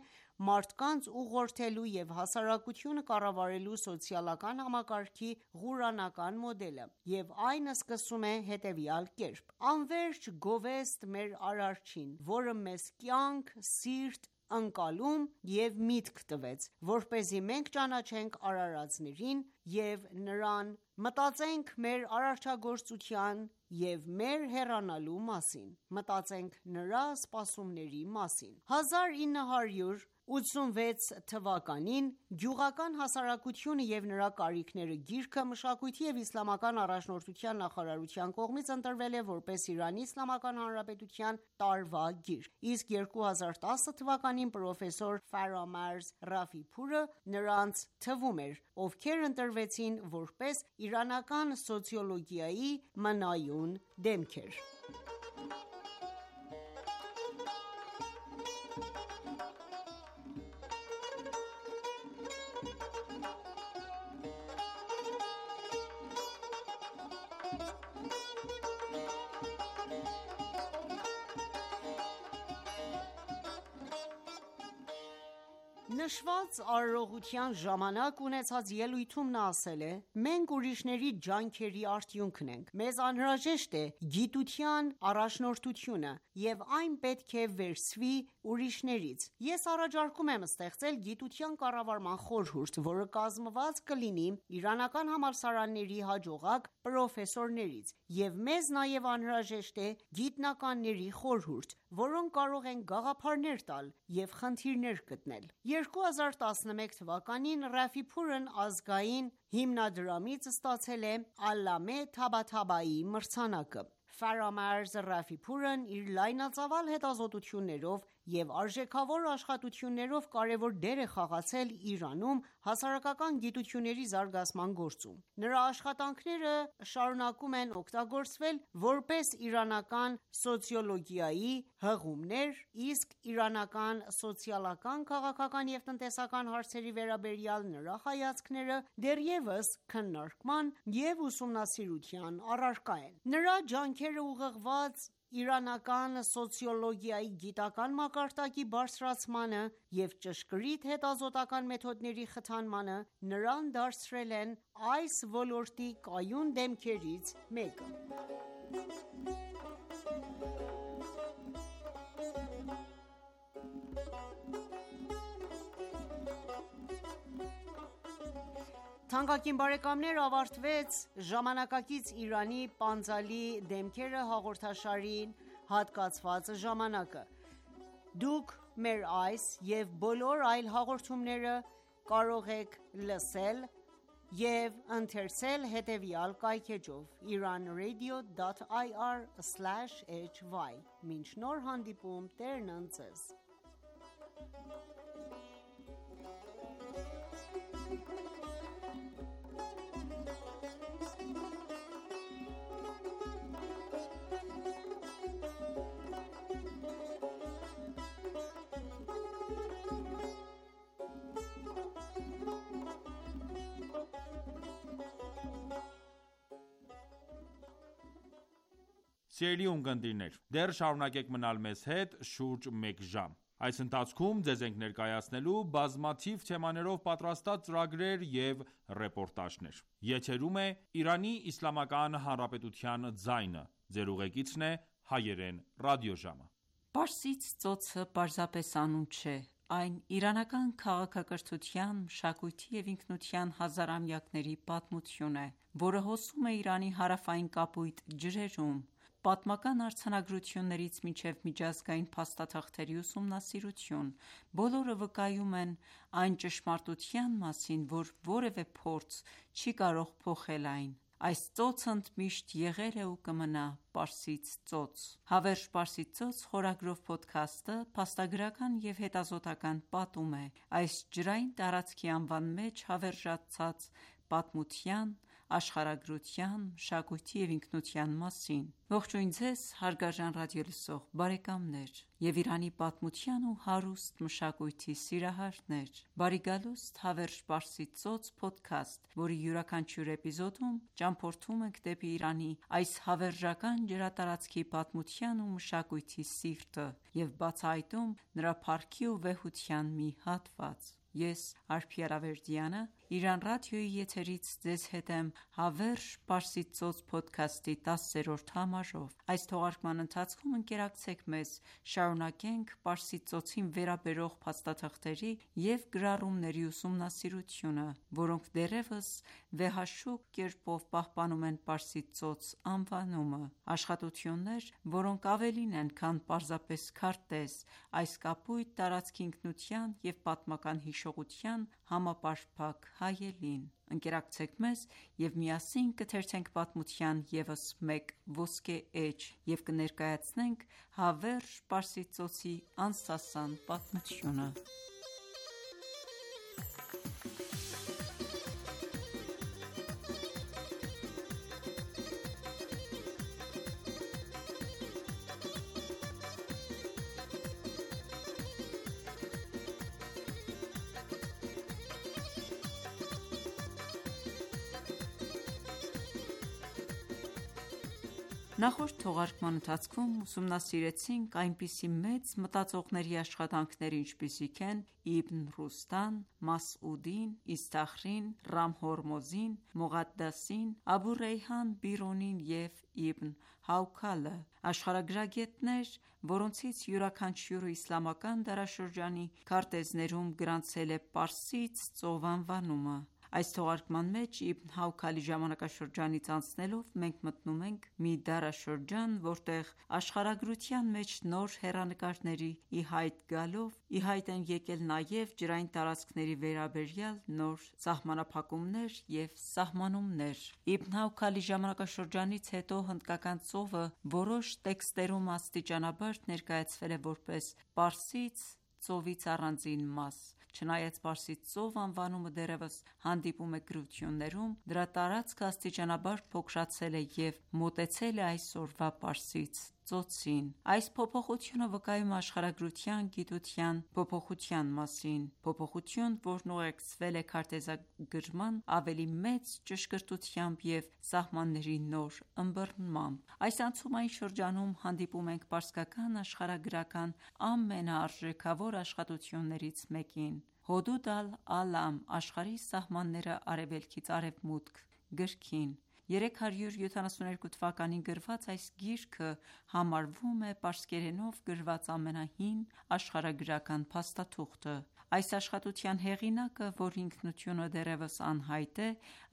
մարդկանց ուղղորդելու և հասարակությունը կառավարելու սոցիալական համակարգի Ղուրանական մոդելը և այն սկսում է հետևյալ կերպ. «Անվերջ գովեստ մեր Արարչին, որը մեզ կյանք, սիրտ, ընկալում և միտք տվեց, որպեսզի մենք ճանաչենք արարածներին և Նրան, մտածենք մեր արարչագործության և մեր հեռանալու մասին, մտածենք Նրա սպասումների մասին»: հազար ինը հարյուր ութսունվեց թվականին «Գյուղական հասարակությունը և նրա կարիքները» գիրքը Մշակույթի և իսլամական առաջնորդության նախարարության կողմից ընտրվել է որպես Իրանի Իսլամական Հանրապետության տարվա գիրք, իսկ երկու հազար տասը թվականին պրոֆեսոր Ֆարամերզ Ռաֆիփուրը նրանց թվում էր, ովքեր ընտրվեցին որպես իրանական սոցիոլոգիայի մնայուն դեմքեր: Նշված արարողության ժամանակ ունեցած ելույթում նա ասել է. «Մենք ուրիշների ջանքերի արդյունքն ենք: Մեզ անհրաժեշտ է գիտության առաջնորդությունը և այն պետք է վերցվի ուրիշներից: Ես առաջարկում եմ ստեղծել գիտության կառավարման խորհուրդ, որը կազմված կլինի իրանական համալսարանների հաջողակ պրոֆեսորներից և մեզ նաև անհրաժեշտ է գիտնականների խորհուրդ, որոնք կարող են գաղափարներ տալ և խնդիրներ գտնել»: երկու հազար տասնմեկ թվականին Ռաֆիփուրն ազգային հիմնադրամից ստացել է Ալլամե Թաբաթաբայի մրցանակը: Ֆարամերզ Ռաֆիփուրն իր լայնածավալ հետազոտություններով և արժեքավոր աշխատություններով կարևոր դեր է խաղացել Իրանում հասարակական գիտությունների զարգացման գործում: Նրա աշխատանքները շարունակում են օգտագործվել որպես իրանական սոցիոլոգիայի հղումներ, իսկ իրանական սոցիալական, քաղաքական և տնտեսական հարցերի վերաբերյալ նրա հայացքները դեռևս քննարկման և ուսումնասիրության առարկա են: Նրա ջանքերը ուղղված իրանական սոցիոլոգիայի գիտական մակարդակի բարձրացմանը և ճշգրիտ հետազոտական մեթոդների խթանմանը նրան դարձրել են այս ոլորտի կայուն դեմքերից մեկը: Թանկագին բարեկամներ ավարտվեց «Ժամանակակից Իրանի պանծալի դեմքերը» հաղորդաշարին հատկացված ժամանակը: Դուք մեր այս և բոլոր այլ հաղորդումները կարող եք լսել և ընթերցել հետևյալ կայքէջով՝ իրանradio դոտ ir սլաշ էյչ վայ: Մինչ նոր հանդիպում Տերն ընդ Ձեզ: Սիրելի ունկնդիրներ, դեռ շարունակեք մնալ մեզ հետ շուրջ մեկ ժամ: Այս ընթացքում ձեզ ենք ներկայացնելու բազմաթիվ թեմաներով պատրաստած ծրագրեր և ռեպորտաժներ: Եթերում է «Իրանի Իսլամական Հանրապետության ձայնը»: Ձեր ուղեկիցն է Հայերեն ռադիոժամը: Պարսից ծոցը պարզապես անուն չէ: Այն իրանական քաղաքակրթության, մշակույթի և ինքնության հազարամյակների պատմություն է, որը հոսում է Իրանի հարավային կապույտ ջրերում: Պատմական արձանագրություններից մինչև միջազգային փաստաթղթերի ուսումնասիրություն, բոլորը վկայում են այն ճշմարտության մասին, որ որևէ փորձ չի կարող փոխել այն: Այս ծոցը ընդմիշտ եղել է ու կմնա Պարսից ծոց։ Հավերժ Պարսից ծոց խորագրով փոդքասթը փաստագրական և հետազոտական պատում է այս ջրային տարածքի անվան մեջ հավերժացած պատմության, աշխարհագրության, մշակույթի և ինքնության մասին։ Ողջույն ձեզ հարգարժան ռադիոլսող բարեկամներ և Իրանի պատմության ու հարուստ մշակույթի սիրահարներ: Բարի գալուստ «Հավերժ Պարսից ծոց» փոդքասթ, որի յուրաքանչյուր էպիզոդում ճամփորդում ենք դեպի Իրանի այս հավերժական ջրատարածքի պատմության ու մշակույթի սիրտը և բացահայտում նրա փառքի ու վեհության մի հատված։ Ես Արփի Արավերդյանը Իրան ռադիոյի եթերից ձեզ հետ եմ «Հավերժ Պարսից ծոց» փոդքասթի տասերորդ համարով։ Այս թողարկման ընթացքում ընկերակցեք մեզ շարունակենք Պարսից ծոցին վերաբերող փաստաթղթերի և գրառումների ուսումնասիրությունը, որոնք դեռևս վեհաշուկ կերպով պահպանում են Պարսից ծոց անվանումը: Աշխատություններ, որոնք ավելին են, քան պարզապես քարտեզ, այս կապույտ տարածքի ինքնության և պատմական հիշողության համապարփակ հայելին: Ընկերակցեք մեզ և միասին կթերթենք պատմության ևս մեկ ոսկե էջ և կներկայացնենք Հավերժ Պարսից ծոցի անսասան պատմությունը։ Նախորդ թողարկման ընթացքում ուսումնասիրեցինք այնպիսի մեծ մտածողների աշխատանքներ, ինչպիսիք են Իբն Ռուստան, Մաս'ուդին, Իսթախրին, Ռամ Հորմոզին, Մողադդասին, Աբու Ռեյհան Բիրունին և Իբն Հաուքալը: Աշխարհագրագետներ, որոնցից յուրաքանչյուրը իսլամական դարաշրջանի քարտեզներում գրանցել է Պարսից ծով անվանումը: Այս թողարկման մեջ Իբն Հաուքալի ժամանակաշրջանից անցնելով մենք մտնում ենք մի դարաշրջան, որտեղ աշխարհագրության մեջ նոր հեռանկարների ի հայտ գալով ի հայտ են եկել նաև ջրային տարածքների վերաբերյալ նոր սահմանափակումներ և սահմանումներ: Իբն Հաուքալի ժամանակաշրջանից հետո հնդկական ծովը որոշ տեքստերում աստիճանաբար ներկայացվել է որպես Պարսից ծովից առանձին մաս: Չնայած Պարսից ծով անվանումը դեռևս հանդիպում է գրություններում, դրա տարածքը աստիճանաբար փոքրացել է և մոտեցել է այսօրվա Պարսից ծոցին: Այս փոփոխությունը վկայում է աշխարհագրության գիտության փոփոխության մասին, փոփոխություն, որն ուղեկցվել է քարտեզագրման ավելի մեծ ճշգրտությամբ և սահմանների նոր ըմբռնմամբ: Այս անցումային շրջանում հանդիպում ենք պարսկական աշխարհագրական ամենաարժեքավոր աշխատություններից մեկին՝ «Հոդուդ ալ-Ալամ. Աշխարհի սահմանները Արևելքից Արևմուտք» գրքին: երեք հարյուր յոթանասունհինգ թվականին գրված այս գիրքը համարվում է պարսկերենով գրված ամենահին աշխարհագրական փաստաթուղթը: Այս աշխատության հեղինակը, որի ինքնությունը դեռևս անհայտ է,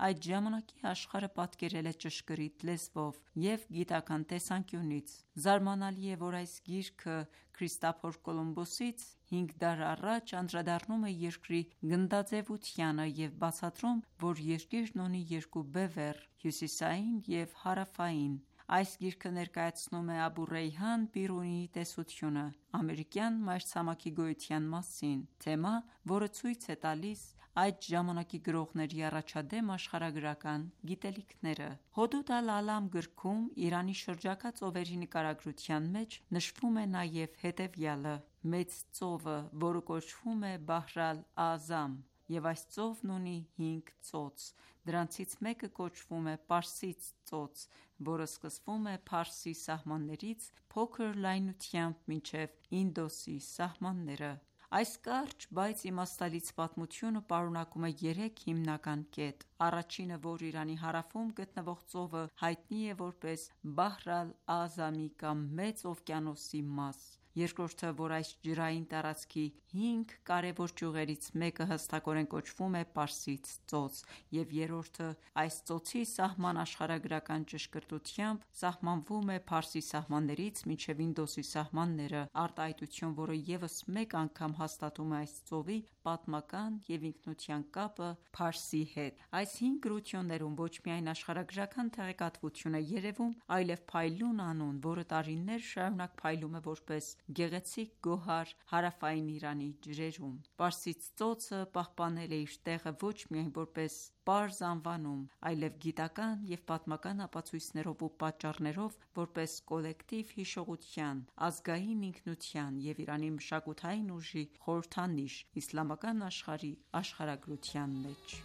այդ ժամանակի աշխարհը պատկերել է ճշգրիտ լեզվով և գիտական տեսանկյունից: Զարմանալի է, որ այս գիրքը Քրիստափոր Կոլումբոսից հինգ դար առաջ անդրադառնում է երկրի գնդաձևությանը և բացատրում, որ երկիրն ունի երկու բևեռ՝ հյուսիսային և հարավային: Այս գիրքը ներկայացնում է Աբու Ռեյհան Բիրունիի տեսությունը ամերիկյան մայրցամաքի գոյության մասին, թեմա, որը ցույց է տալիս այդ ժամանակի գրողների առաջադեմ աշխարհագրական գիտելիքները: «Հոդուդ ալ-Ալամ» գրքում Իրանի շրջակա ծովերի նկարագրության մեջ նշվում է նաև հետևյալը. «Մեծ ծովը, որը կոչվում է Բահր ալ-Աղզամ, և այս ծովն ունի հինգ ծոց: Դրանցից մեկը կոչվում է Պարսից ծոց, որը սկսվում է Փարսի սահմաններից փոքր լայնությամբ մինչև Ինդոսի սահմանները»: Այս կարճ, բայց իմաստալից պատմությունը պարունակում է երեք հիմնական կետ: Առաջինը, որ Իրանի հարավում գտնվող ծովը հայտնի է որպես Բահր ալ-Աղզամի կամ Մեծ օվկիանոսի մաս: երկրորդը, որ այս ջրային տարածքի հինգ կարևոր ճյուղերից մեկը հստակորեն կոչվում է Պարսից ծոց, և երրորդը, այս ծոցի սահման աշխարհագրական ճշգրտությամբ սահմանվում է Փարսի սահմաններից մինչև Ինդոսի սահմանները, արտահայտություն, որը ևս մեկ անգամ հաստատում է այս ծովի պատմական և ինքնության կապը Փարսի հետ։ Այս հինգ գրություններում ոչ միայն աշխարհագրական տեղեկատվություն է երևում, այլև փայլուն անուն, որը տարիներ շարունակ փայլում է որպես գեղեցիկ գոհար հարավային Իրանի ջրերում։ Պարսից ծոցը պահպանել է իր տեղը ոչ միայն որպես պարզ անվանում, այլև գիտական և պատմական ապացույցներով ու պատճառներով, որպես կոլեկտիվ հիշողության, ազգային ինքնության և Իրանի մշակութային ուժի խորհրդանիշ իսլամական աշխարհի աշխարհագրության մեջ։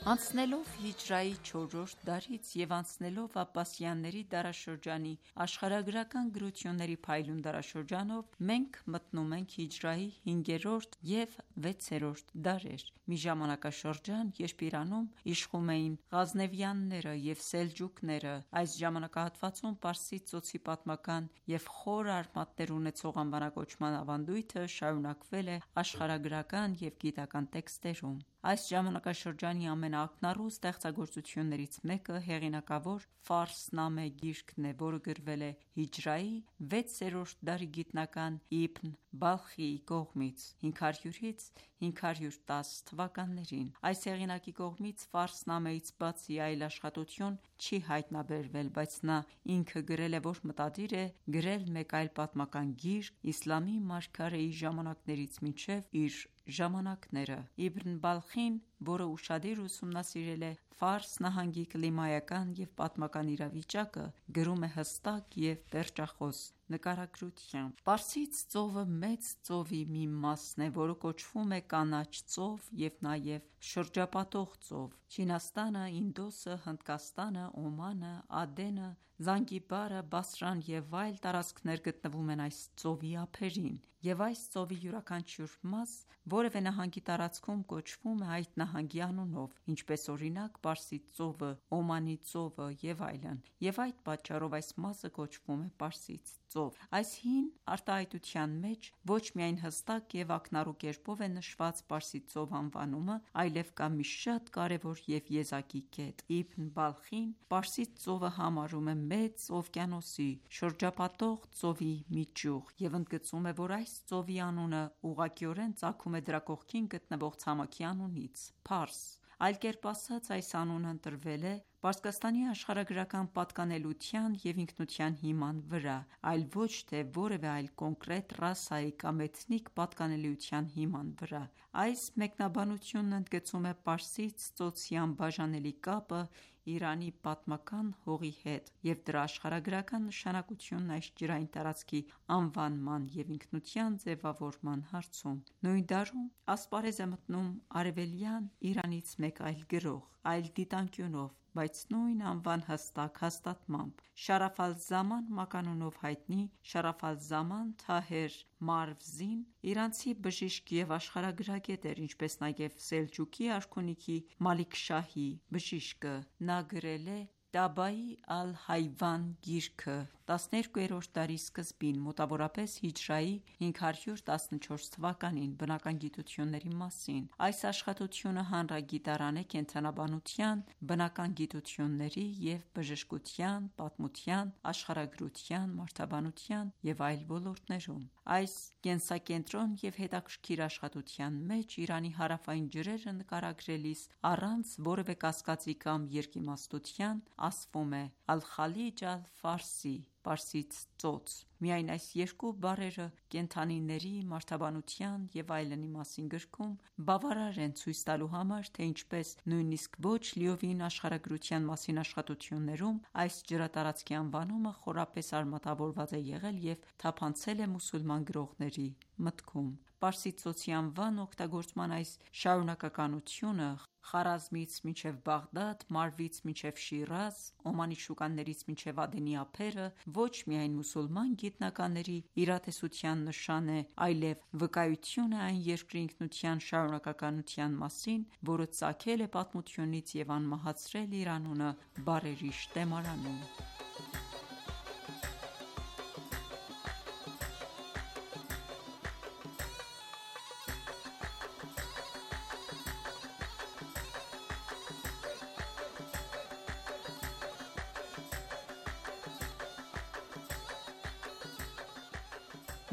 Անցնելով հիջրայի չորրորդ դարից և անցնելով Աբբասյանների դարաշրջանի աշխարհագրական գրությունների փայլուն դարաշրջանով, մենք մտնում ենք հիջրայի հինգերորդ և վեցերորդ դարեր։ Մի ժամանակաշրջան, երբ Իրանում իշխում էին Ղազնավյանները և Սելջուկները։ Այս ժամանակահատվածում Պարսից ծոցի պատմական և խոր արմատներ ունեցող անվանակոչման ավանդույթը շարունակվել է աշխարհագրական և գիտական տեքստերում։ Այս ժամանակաշրջանի ամենաակնառու ստեղծագործություններից մեկը հեղինակավոր «Ֆարսնամե» գիրքն է, որը գրվել է հիջրայի վեցերորդ դարի գիտնական Իբն Բալխիի կողմից (հինգ հարյուրից հինգ հարյուր տասը թվականներին)։ Այս հեղինակի կողմից «Ֆարսնամեից» բացի այլ աշխատություն չի հայտնաբերվել, բայց նա ինքը գրել է, որ մտադիր է գրել մեկ այլ պատմական գիրք իսլամի մարգարեի ժամանակներից մինչև իր ժամանակները։ Իբն Բալխին, որը ուշադիր ուսումնասիրել է Ֆարս նահանգի կլիմայական և պատմական իրավիճակը, գրում է հստակ և պերճախոս նկարագրությամբ. Պարսից ծովը մեծ ծովի մի մասն է, որը կոչվում է Կանաչ ծով և նաև շրջապատող ծով։ Չինաստանը, Ինդոսը, Հնդկաստանը, Օմանը, Ադենը, Զանգիբարը, Բասրան և այլ տարածքներ գտնվում են այս ծովի ափերին, և այս ծովի յուրաքանչյուր մաս որևէ նահանգի տարածքում կոչվում է այդ նահանգի անունով, ինչպես օրինակ Պարսից ծովը, Օմանի ծովը և այլն, և այդ պատճառով այս մասը կոչվում է Պարսից ծով։ Այս հին արտահայտության մեջ ոչ միայն հստակ և ակնառու կերպով է նշված Պարսից ծով անվանումը, այլև կա մի շատ կարևոր և եզակի կետ։ Իբն Բալխին Պարսից ծովը համարում է Մեծ օվկիանոսի շրջապատող ծովի մի ճյուղ և ընդգծում է, որ այս ծովի անունը ուղղակիորեն ծագում է դրա կողքին գտնվող ցամաքի անունից՝ Փարս։ Այլ կերպ ասած, այս անունը ընտրվել է Պարսկաստանի աշխարհագրական պատկանելության և ինքնության հիման վրա, այլ ոչ թե որևէ այլ կոնկրետ ռասայի կամ էթնիկ պատկանելիության հիման վրա։ Այս մեկնաբանությունն ընդգծում է Պարսից ծոցի անբաժանելի կապը Իրանի պատմական հողի հետ և դրա աշխարհագրական նշանակությունն այս ջրային տարածքի անվանման և ինքնության ձևավորման հարցում։ Նույն դարում ասպարեզ է մտնում արևելյան Իրանից մեկ այլ գրող, այլ դիտանկյունով, բայց նույն անվան հստակ հաստատմամբ։ Շարաֆ ալ-Զաման մականունով հայտնի Շարաֆ ալ-Զաման Թահեր Մարվզին իրանցի բժիշկ և աշխարհագրագետ էր, ինչպես նաև Սելջուկի արքունիքի Մալիք Շահի բժիշկը։ Նա գրել է Տաբայի ալ-Հայվան գիրքը տասներկուերորդ դարի սկզբին, մոտավորապես հիջրայի հինգ հարյուր տասնչորս թվականին, բնական գիտությունների մասին։ Այս աշխատությունը հանրագիտարան է կենդանաբանության, բնական գիտությունների և բժշկության, պատմության, աշխարհագրության, մարդաբանության և այլ ոլորտներում։ Այս կենսակենտրոն և հետաքրքիր աշխատության մեջ Իրանի հարավային ջրերը նկարագրելիս առանց որևէ կասկածի կամ երկիմաստության ասվում է Ալ-Խալիջ ալ-Ֆարսի (Պարսից ծոց)։ Միայն այս երկու բառերը կենդանիների, մարդաբանության և այլնի մասին գրքում բավարար են ցույց տալու համար, թե ինչպես նույնիսկ ոչ լիովին աշխարհագրության մասին աշխատություններում այս ջրատարածքի անվանումը խորապես արմատավորված է եղել և թափանցել է մուսուլման գրողների մտքում։ Պարսից ծոցի անվան օգտագործման այս շարունակականությունը Խարազմից մինչև Բաղդադ, Մարվից մինչև Շիրազ, Օմանի շուկաներից մինչև Ադենի ափերը ոչ միայն մուսուլման գիտնականների իրատեսության նշան է, այլև վկայություն է այն երկրի ինքնության շարունակականության մասին, որը ծագել է պատմությունից և անմահացրել իր անունը բառերի շտեմարանում: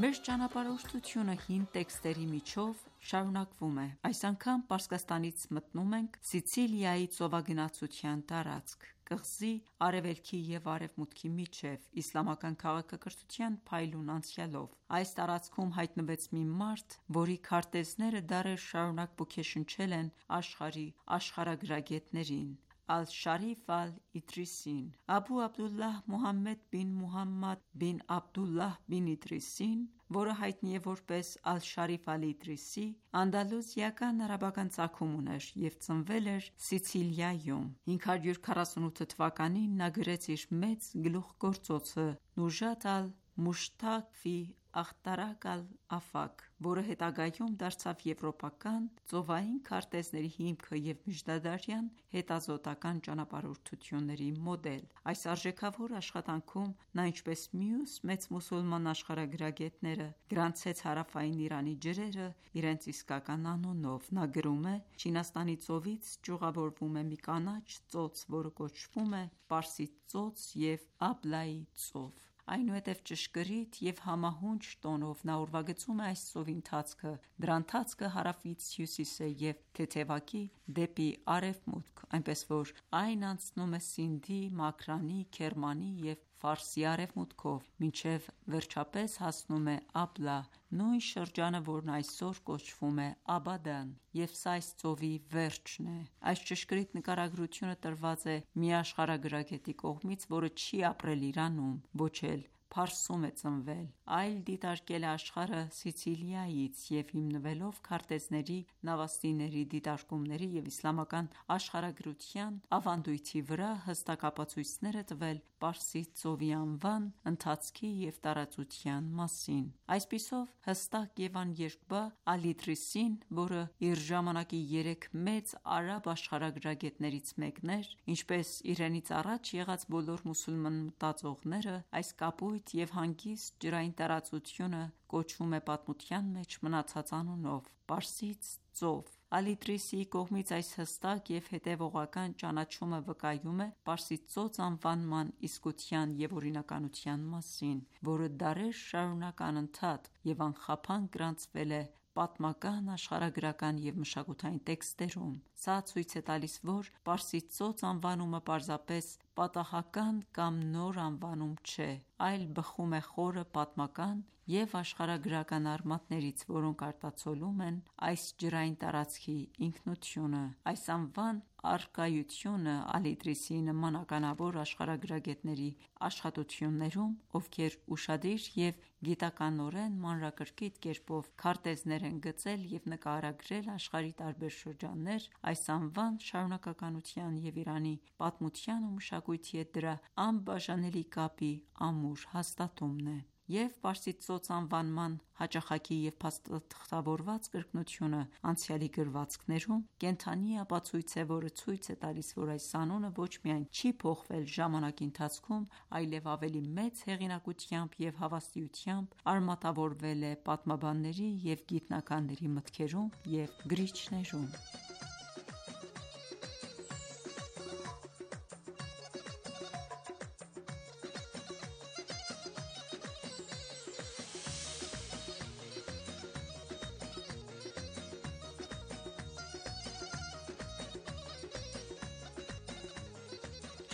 Մեր ճանապարհորդությունը հին տեքստերի միջով շարունակվում է: Այս անգամ Պարսկաստանից մտնում ենք Սիցիլիայի ծովագնացության տարածք՝ կղզի արևելքի և արևմուտքի միջև, իսլամական քաղաքակրթության փայլուն անցյալով: Այս տարածքում հայտնվեց մի մարդ, որի քարտեզները դարեր շարունակ ոգեշնչել են աշխարհի աշխարհագրագետներին՝ Ալ-Շարիֆ Ալ-Իդրիսին: Աբու Աբդուլլահ Մուհամմեդ բին Մուհամմադ բին Աբդուլլահ բին Իդրիսին, որը հայտնի է որպես Ալ-Շարիֆ Ալ-Իդրիսի, անդալուսիական արաբական ծագում ուներ և ծնվել էր Սիցիլիայում: հինգ հարյուր քառասունութ թվականին նա գրեց իր մեծ գլուխգործոցը Նուժաթ Ալ-Մուշթաղ ֆի Ախտարակ Ալ-Աֆաք, որը հետագայում դարձավ եվրոպական ծովային քարտեզների հիմքը և միջնադարյան հետազոտական ճանապարհորդությունների մոդել: Այս արժեքավոր աշխատանքում նա, ինչպես մյուս մեծ մուսուլման աշխարհագրագետները, գրանցեց հարավային Իրանի ջրերը իրենց իսկական անունով: Նա գրում է. «Չինաստանի ծովից ճյուղավորվում է մի կանաչ ծոց, որը կոչվում է Պարսից ծոց և Աբլայի ծով»: Այնուհետև ճշգրիտ և համահունչ տոնով նա ուրվագծում է այս ծովի ընթացքը, դրա ընթացքը հարավից հյուսիս է և թեթևակի դեպի արևմուտք, այնպես որ այն անցնում է Սինդի, Մաքրանի, Քերմանի և Ֆարսի արևմուտքով, մինչև վերջապես հասնում է Աբլա, նույն շրջանը, որն այսօր կոչվում է Աբադան, և սա այս ծովի վերջն է: Այս ճշգրիտ նկարագրությունը տրված է մի աշխարհագրագետի կողմից, որը չի ապրել Իրանում, ոչ էլ Փարսում է ծնվել, այլ դիտարկել է աշխարհը Սիցիլիայից և հիմնվելով քարտեզների, նավաստիների դիտարկումների և իսլամական աշխարհագրության ավանդույթի վրա, հստակ ապացույցներ է տվել Պարսից ծովի անվան, ընթացքի և տարածության մասին: Այսպիսով, հստակ և աներկբա Ալ-Իդրիսին, որը իր ժամանակի երեք մեծ արաբ աշխարհագրագետներից մեկն էր, ինչպես իրենից առաջ եղած բոլոր մուսուլման մտածողները, այս կապույտ և հանգիստ ջրային տարածությունը կոչվում է պատմության մեջ մնացած անունով՝ Պարսից ծով: Ալ-Իդրիսիի կողմից այս հստակ և հետևողական ճանաչումը վկայում է Պարսից ծոց անվանման իսկության և օրինականության մասին, որը դարեր շարունակ անընդհատ և անխափան գրանցվել է պատմական, աշխարհագրական և մշակութային տեքստերում: Սա ցույց է տալիս, որ Պարսից ծոց անվանումը պարզապես պատահական կամ նոր անվանում չէ, այլ բխում է խորը պատմական և աշխարհագրական արմատներից, որոնք արտացոլում են այս ջրային տարածքի ինքնությունը: Այս անվան առկայությունը Ալ-Իդրիսիի նման ականավոր աշխարհագրագետների աշխատություններում, ովքեր ուշադիր և գիտականորեն մանրակրկիտ կերպով քարտեզներ են գծել և նկարագրել աշխարհի տարբեր շրջաններ, այս անվան շարունակականության և Իրանի պատմության ու մշակույթի հետ դրա անբաժանելի կապի ամուր հաստատումն է: Եվ Պարսից ծոց անվանման հաճախակի և փաստաթղթավորված կրկնությունը անցյալի գրվածքներում կենդանի ապացույց է, որը ցույց է տալիս, որ այս անունը ոչ միայն չի փոխվել ժամանակի ընթացքում, այլև ավելի մեծ հեղինակությամբ և հավաստիությամբ արմատավորվել է պատմաբանների և գիտնականների մտքերում և գրիչներում: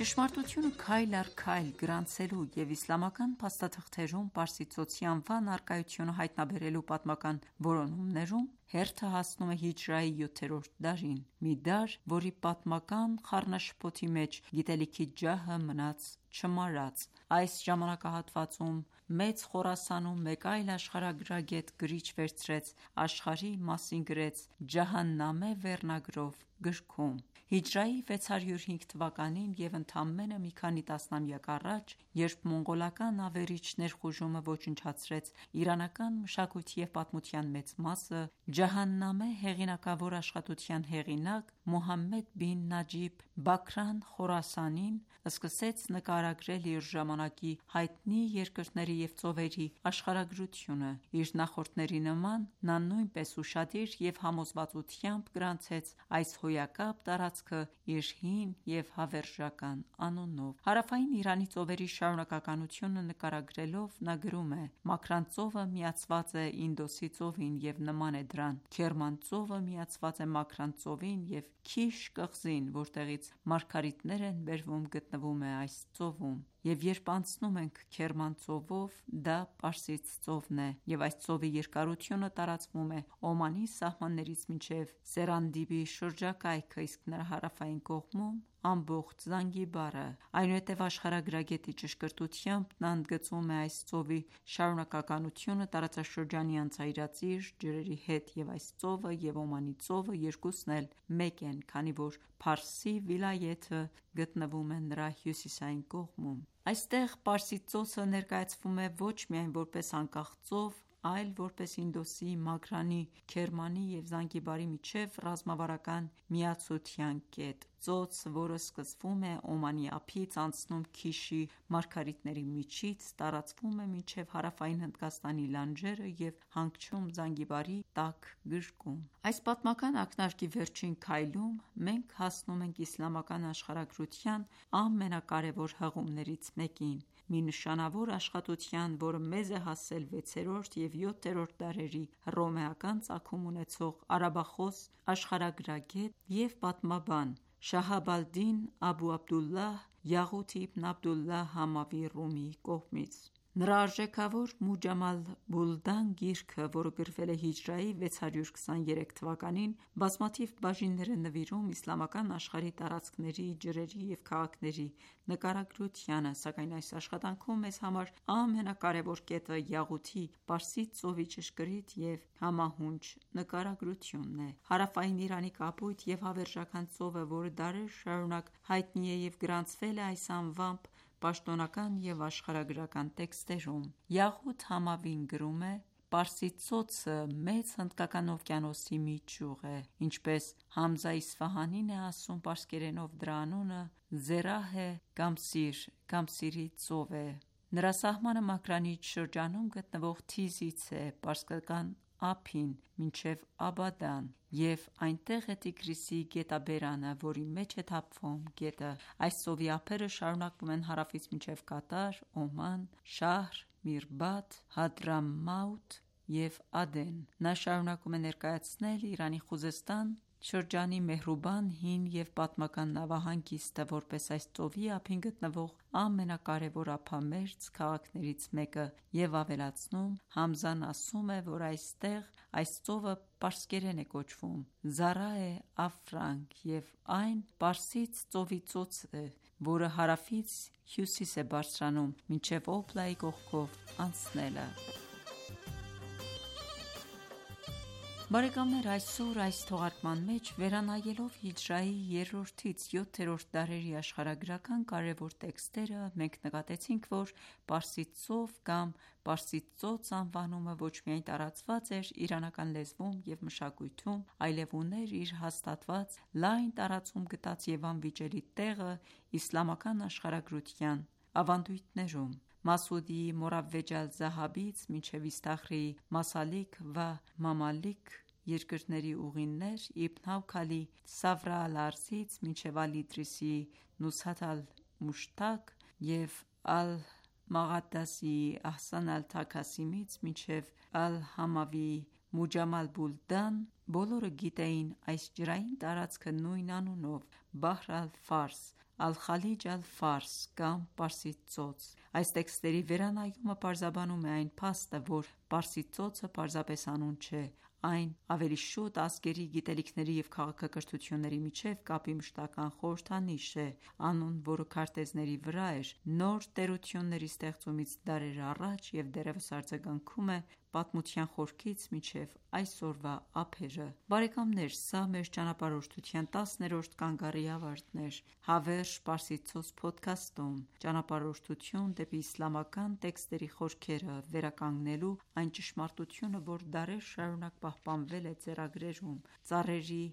Ճշմարտությունը քայլ առ քայլ գրանցելու և իսլամական փաստաթղթերում Պարսից ծոցի անվան առկայությունը հայտնաբերելու պատմական որոնումներում հերթը հասնում է հիջրեայի յոթերորդ դարին, մի դար, որի պատմական խառնաշփոթի մեջ գիտելիքի ջահը մնաց չմարած։ Այս ժամանակահատվածում Մեծ Խորասանում մեկ այլ աշխարհագրագետ գրիչ վերցրեց աշխարհի մասին գրեց «Ջահաննամե» վերնագրով գրքում։ Հիջրեայի վեց հարյուր հինգ թվականին և ընդամենը մի քանի տասնամյակ առաջ, երբ մոնղոլական ավերիչ ներխուժումը ոչնչացրեց իրանական մշակույթի և պատմության մեծ մասը, «Ջահաննամե» հեղինակավոր աշխատության հեղինակ Մոհամմեդ բին Նաջիբ Բաքրան Խորասանին սկսեց նկարագրել իր ժամանակի հայտնի երկրների և ծովերի աշխարհագրությունը։ Իր նախորդների նման, նա նույնպես ուշադիր և համոզվածությամբ գրանցեց այս հոյակապ տարածքը իր հին և հավերժական անունով։ Հարավային Իրանի ծովերի շարունակականությունը նկարագրելով նա գրում է. «Մաքրան ծովը միացված է Ինդոսի ծովին և նման է դրան։ Քերման ծովը միացված է Մաքրան ծովին և Քիշ կղզին, որտեղից մարգարիտներ են բերվում, գտնվում է այս ծովում։ Եվ երբ անցնում ենք Քերման ծովով, դա Պարսից ծովն է, և այս ծովի երկարությունը տարածվում է Օմանի սահմաններից մինչև Սերանդիբի շրջակայքը, իսկ նրա հարավային կողմում ամբողջ Զանգիբարը»։ Այնուհետև աշխարհագրագետի ճշգրտությամբ նա ընդգծում է այս ծովի շարունակականությունը տարածաշրջանի անցայրածիր ջրերի հետ և այս ծովը և Օմանի ծովը երկուսն էլ մեկ են, քանի որ Փարսի վիլայեթը գտնվում է նրա հյուսիսային կողմում։ Այստեղ Պարսից ծոցը ներկայացվում է ոչ միայն որպես անկախ ծով, այլ որպես Ինդոսի, Մաքրանի, Քերմանի և Զանգիբարի միջև ռազմավարական միացության կետ։ Ծոց, որը սկսվում է Օմանի ափից, անցնում Քիշի մարգարիտների միջից, տարածվում է մինչև հարավային Հնդկաստանի լանջերը և հանգչում Զանգիբարի տաք գրկում։ Այս պատմական ակնարկի վերջին քայլում մենք հասնում ենք իսլամական աշխարհագրության ամենակարևոր հղումներից մեկին, մի նշանավոր աշխատության, որը մեզ է հասել վեցերորդ և յոթերորդ դարերի հռոմեական ծագում ունեցող արաբախոս աշխարհագրագետ և պատմաբան Շահաբ ալ-Դին Աբու Աբդուլլահ Յաղութ իբն Աբդուլլահ Համավի Ռումիի կողմից։ Նրա արժեքավոր «Մուջամ ալ-Բուլդան» գիրքը, որը գրվել է հիջրեայի վեց հարյուր քսաներեք թվականին, բազմաթիվ բաժիններ է նվիրում իսլամական աշխարհի տարածքների, ջրերի և քաղաքների նկարագրությանը, սակայն այս աշխատանքում մեզ համար ամենակարևոր կետը Յաղութի Պարսից ծովի ճշգրիտ և համահունչ նկարագրությունն է։ Հարավային Իրանի կապույտ և հավերժական ծովը, որը դարեր շարունակ հայտնի է և գրանցվել է այս անվամբ պաշտոնական և աշխարհագրական տեքստերում։ Յաղութ Համավին գրում է. «Պարսից ծոցը Մեծ Հնդկական օվկիանոսի մի ճյուղ է, ինչպես Համզա Իսֆահանին է ասում պարսկերենով դրա անունը Զերահ կամ Սիր կամ Սիրի ծով է։ Նրա սահմանը Մաքրանիչ շրջանում գտնվող Թիզից է պարսկական ափին մինչև Աբադան, և այնտեղ է Տիգրիսի գետաբերանը, որի մեջ է թափվում գետը։ Այս ծովի ափերը շարունակվում են հարավից մինչև Կատար, Օման, Շահր, Միրբադ, Հադրամաութ և Ադեն»։ Նա շարունակում է ներկայացնել Իրանի Խուզեստան շրջանի Մեհրուբան հին և պատմական նավահանգիստը, որպես այս ծովի ափին գտնվող ամենակարևոր ափամերձ քաղաքներից մեկը և ավելացնում. «Համզան ասում է, որ այստեղ այս ծովը պարսկերեն է կոչվում Զարայե Աֆրանք և այն Պարսից ծովի ծոցն է, որը հարավից հյուսիս է բարձրանում մինչև Օբլայի կողքով անցնելը»։ Բարեկամներ այսօր այս թողարկման մեջ վերանայելով հիջրեայի երրորդից յոթերորդ դարերի աշխարհագրական կարևոր տեքստերը, մենք նկատեցինք, որ Պարսից ծով կամ Պարսից ծոց անվանումը ոչ միայն տարածված էր իրանական լեզվում և մշակույթում, այլև ուներ իր հաստատված լայն տարածում գտած և անվիճելի տեղը իսլամական աշխարհագրության ավանդույթներում։ Մասուդիի Մորավեջ ալ-Զահաբից մինչև Իսթախրիի Մասալիկ վա Մամալիք երկրների ուղիներ, Իբն Հաուքալի Սավրա ալ-Արզից մինչև Ալ-Իդրիսիի Նուսհաթ ալ-Մուշթակ և Ալ-Մաղադասիի Ահսան ալ-Թաքասիմից մինչև Ալ-Համավիի Մուջամ ալ-Բուլդան, բոլորը գիտեին այս ջրային տարածքը նույն անունով՝ Բահր ալ-Ֆարս, Ալ-Խալիջ ալ-Ֆարս կամ Պարսից ծոց։ Այս տեքստերի վերանայումը պարզաբանում է այն փաստը, որ Պարսից ծոցը պարզապես անուն չէ, այն ավելի շուտ ազգերի, գիտելիքների և քաղաքակրթությունների միջև կապի մշտական խորհրդանիշ է: Անուն, որը քարտեզների վրա էր նոր տերությունների ստեղծումից դարեր առաջ և դեռևս արձագանքում է պատմության խորքից մինչև այսօրվա ափերը: Բարեկամներ սա մեր ճանապարհորդության տասներորդ կանգառի ավարտն էր: Հավերժ Պարսիցոց փոդքասթում ճանապարհորդություն դեպի իսլամական տեքստերի խորքերը վերականգնելու այն ճշմարտությունը, որ դարեր շարունակ պահպանվել է ձեռագրերում, ծառերի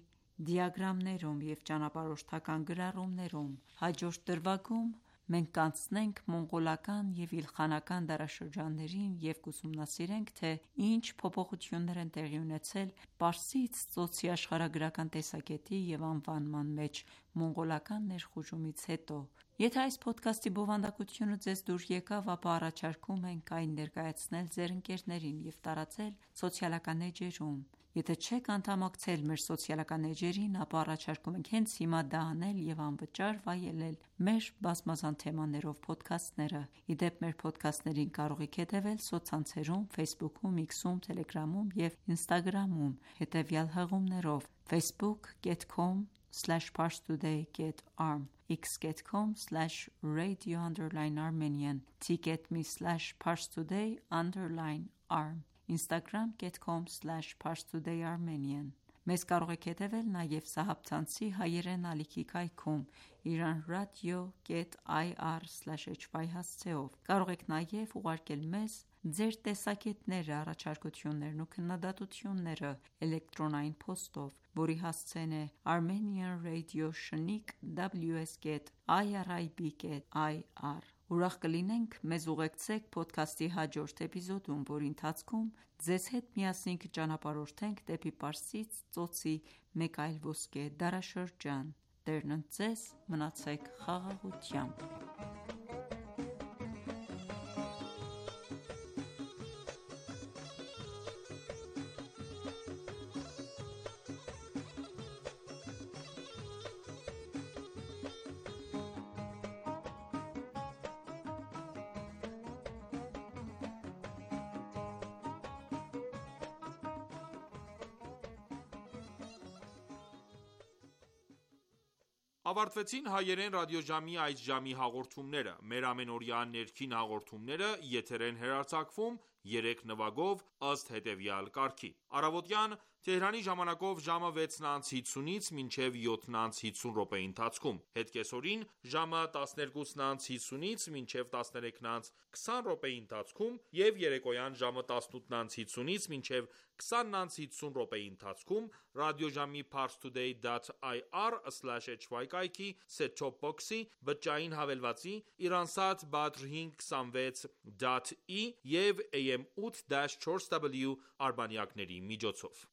դիագրամներում և ճանապարհորդական գրառումներում: Հաջորդ դրվագում մենք կանցնենք մոնղոլական և իլխանական դարաշրջաններին և կուսումնասիրենք, թե ինչ փոփոխություններ են տեղի ունեցել Պարսից ծոցի աշխարհագրական տեսակետի և անվանման մեջ մոնղոլական ներխուժումից հետո: Եթե այս փոդքասթի բովանդակությունը ձեզ դուր եկավ, ապա առաջարկում ենք այն ներկայացնել ձեր ընկերներին և տարածել սոցիալական էջերում: Եթե չեք անդամակցել մեր սոցիալական էջերին, ապա առաջարկում ենք հենց հիմա դա անել և անվճար վայելել մեր բազմազան թեմաներով փոդքասթները: Ի դեպ, մեր փոդքասթներին կարող եք հետևել սոցցանցերում Facebook-ում, X-ում, Telegram-ում և Instagram-ում հետևյալ հղումներով՝ facebook dot com slash parstoday dot arm x dot com slash radio underscore armenian t dot m e slash parstoday underscore arm instagram dot com slash parstoday armenian Մեզ կարող եք հետևել նաև սահաբցանցի հայերեն ալիքի կայքում iranradio dot i r slash h y հասցեով: Կարող եք նաև ուղարկել մեզ ձեր տեսակետները, առաջարկություններն ու քննադատությունները էլեկտրոնային փոստով, որի հասցեն է armenian radio shnik w s dot i r i b dot i r Ուրախ կլինենք մեզ ուղեկցեք փոդքասթի հաջորդ էպիզոդում, որի ընթացքում ձեզ հետ միասին կճանապարհորդենք դեպի Պարսից ծոցի մեկ այլ ոսկե դարաշրջան: Տերն ընդ ձեզ: Մնացեք խաղաղությամբ: Ավարտվեցին հայերեն ռադիոժամի այս ժամի հաղորդումները: Մեր ամենօրյա ներքին հաղորդումները եթեր են հեռարձակվում երեք նվագով ըստ հետևյալ կարգի: Առավոտյան Թեհրանի ժամանակով ժամը վեցն անց հինգսունից մինչև յոթն անց հինգսուն րոպեի ընթացքում, հետ կեսօրին ժամը տասներկուսն անց հինգսունից մինչև տասներեքն անց քսան րոպեի ընթացքում և երեկոյան ժամը տասնութն անց հինգսունից մինչև քսանն անց հինգսուն րոպեի ընթացքում ռադիոժամի parstoday dot i r slash h y կայքի set-top box-ի, բջջային հավելվածի, Iransat Badr հինգ քսանվեց dot i և A M eight four W արբանյակների միջոցով: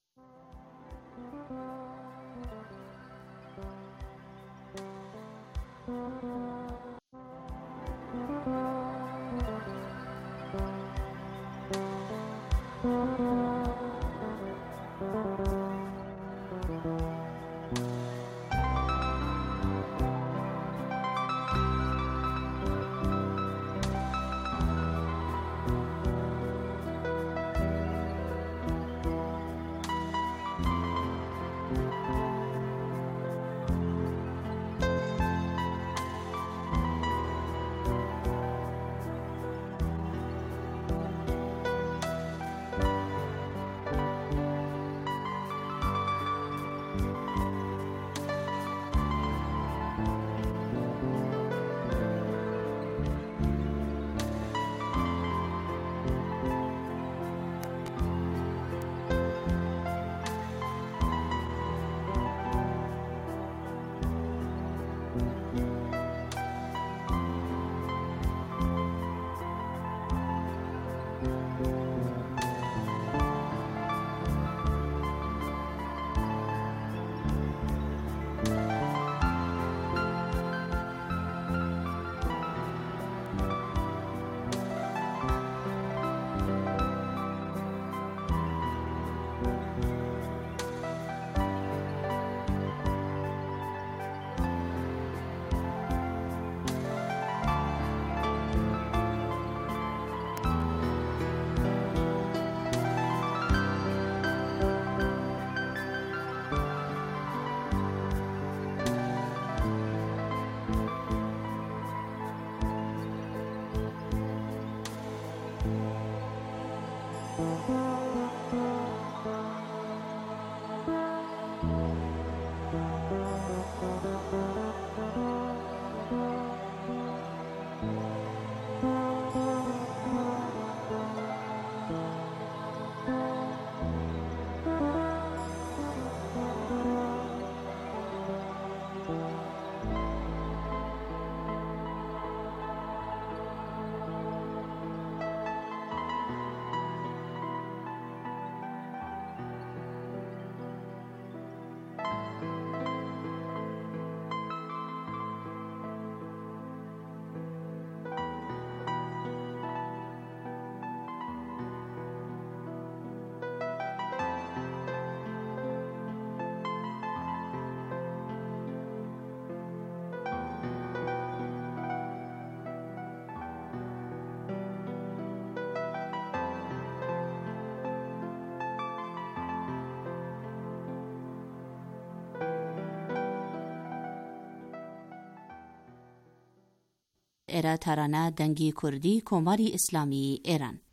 էրա թարանա դանգի քուրդի կոմարի իսլամի էրան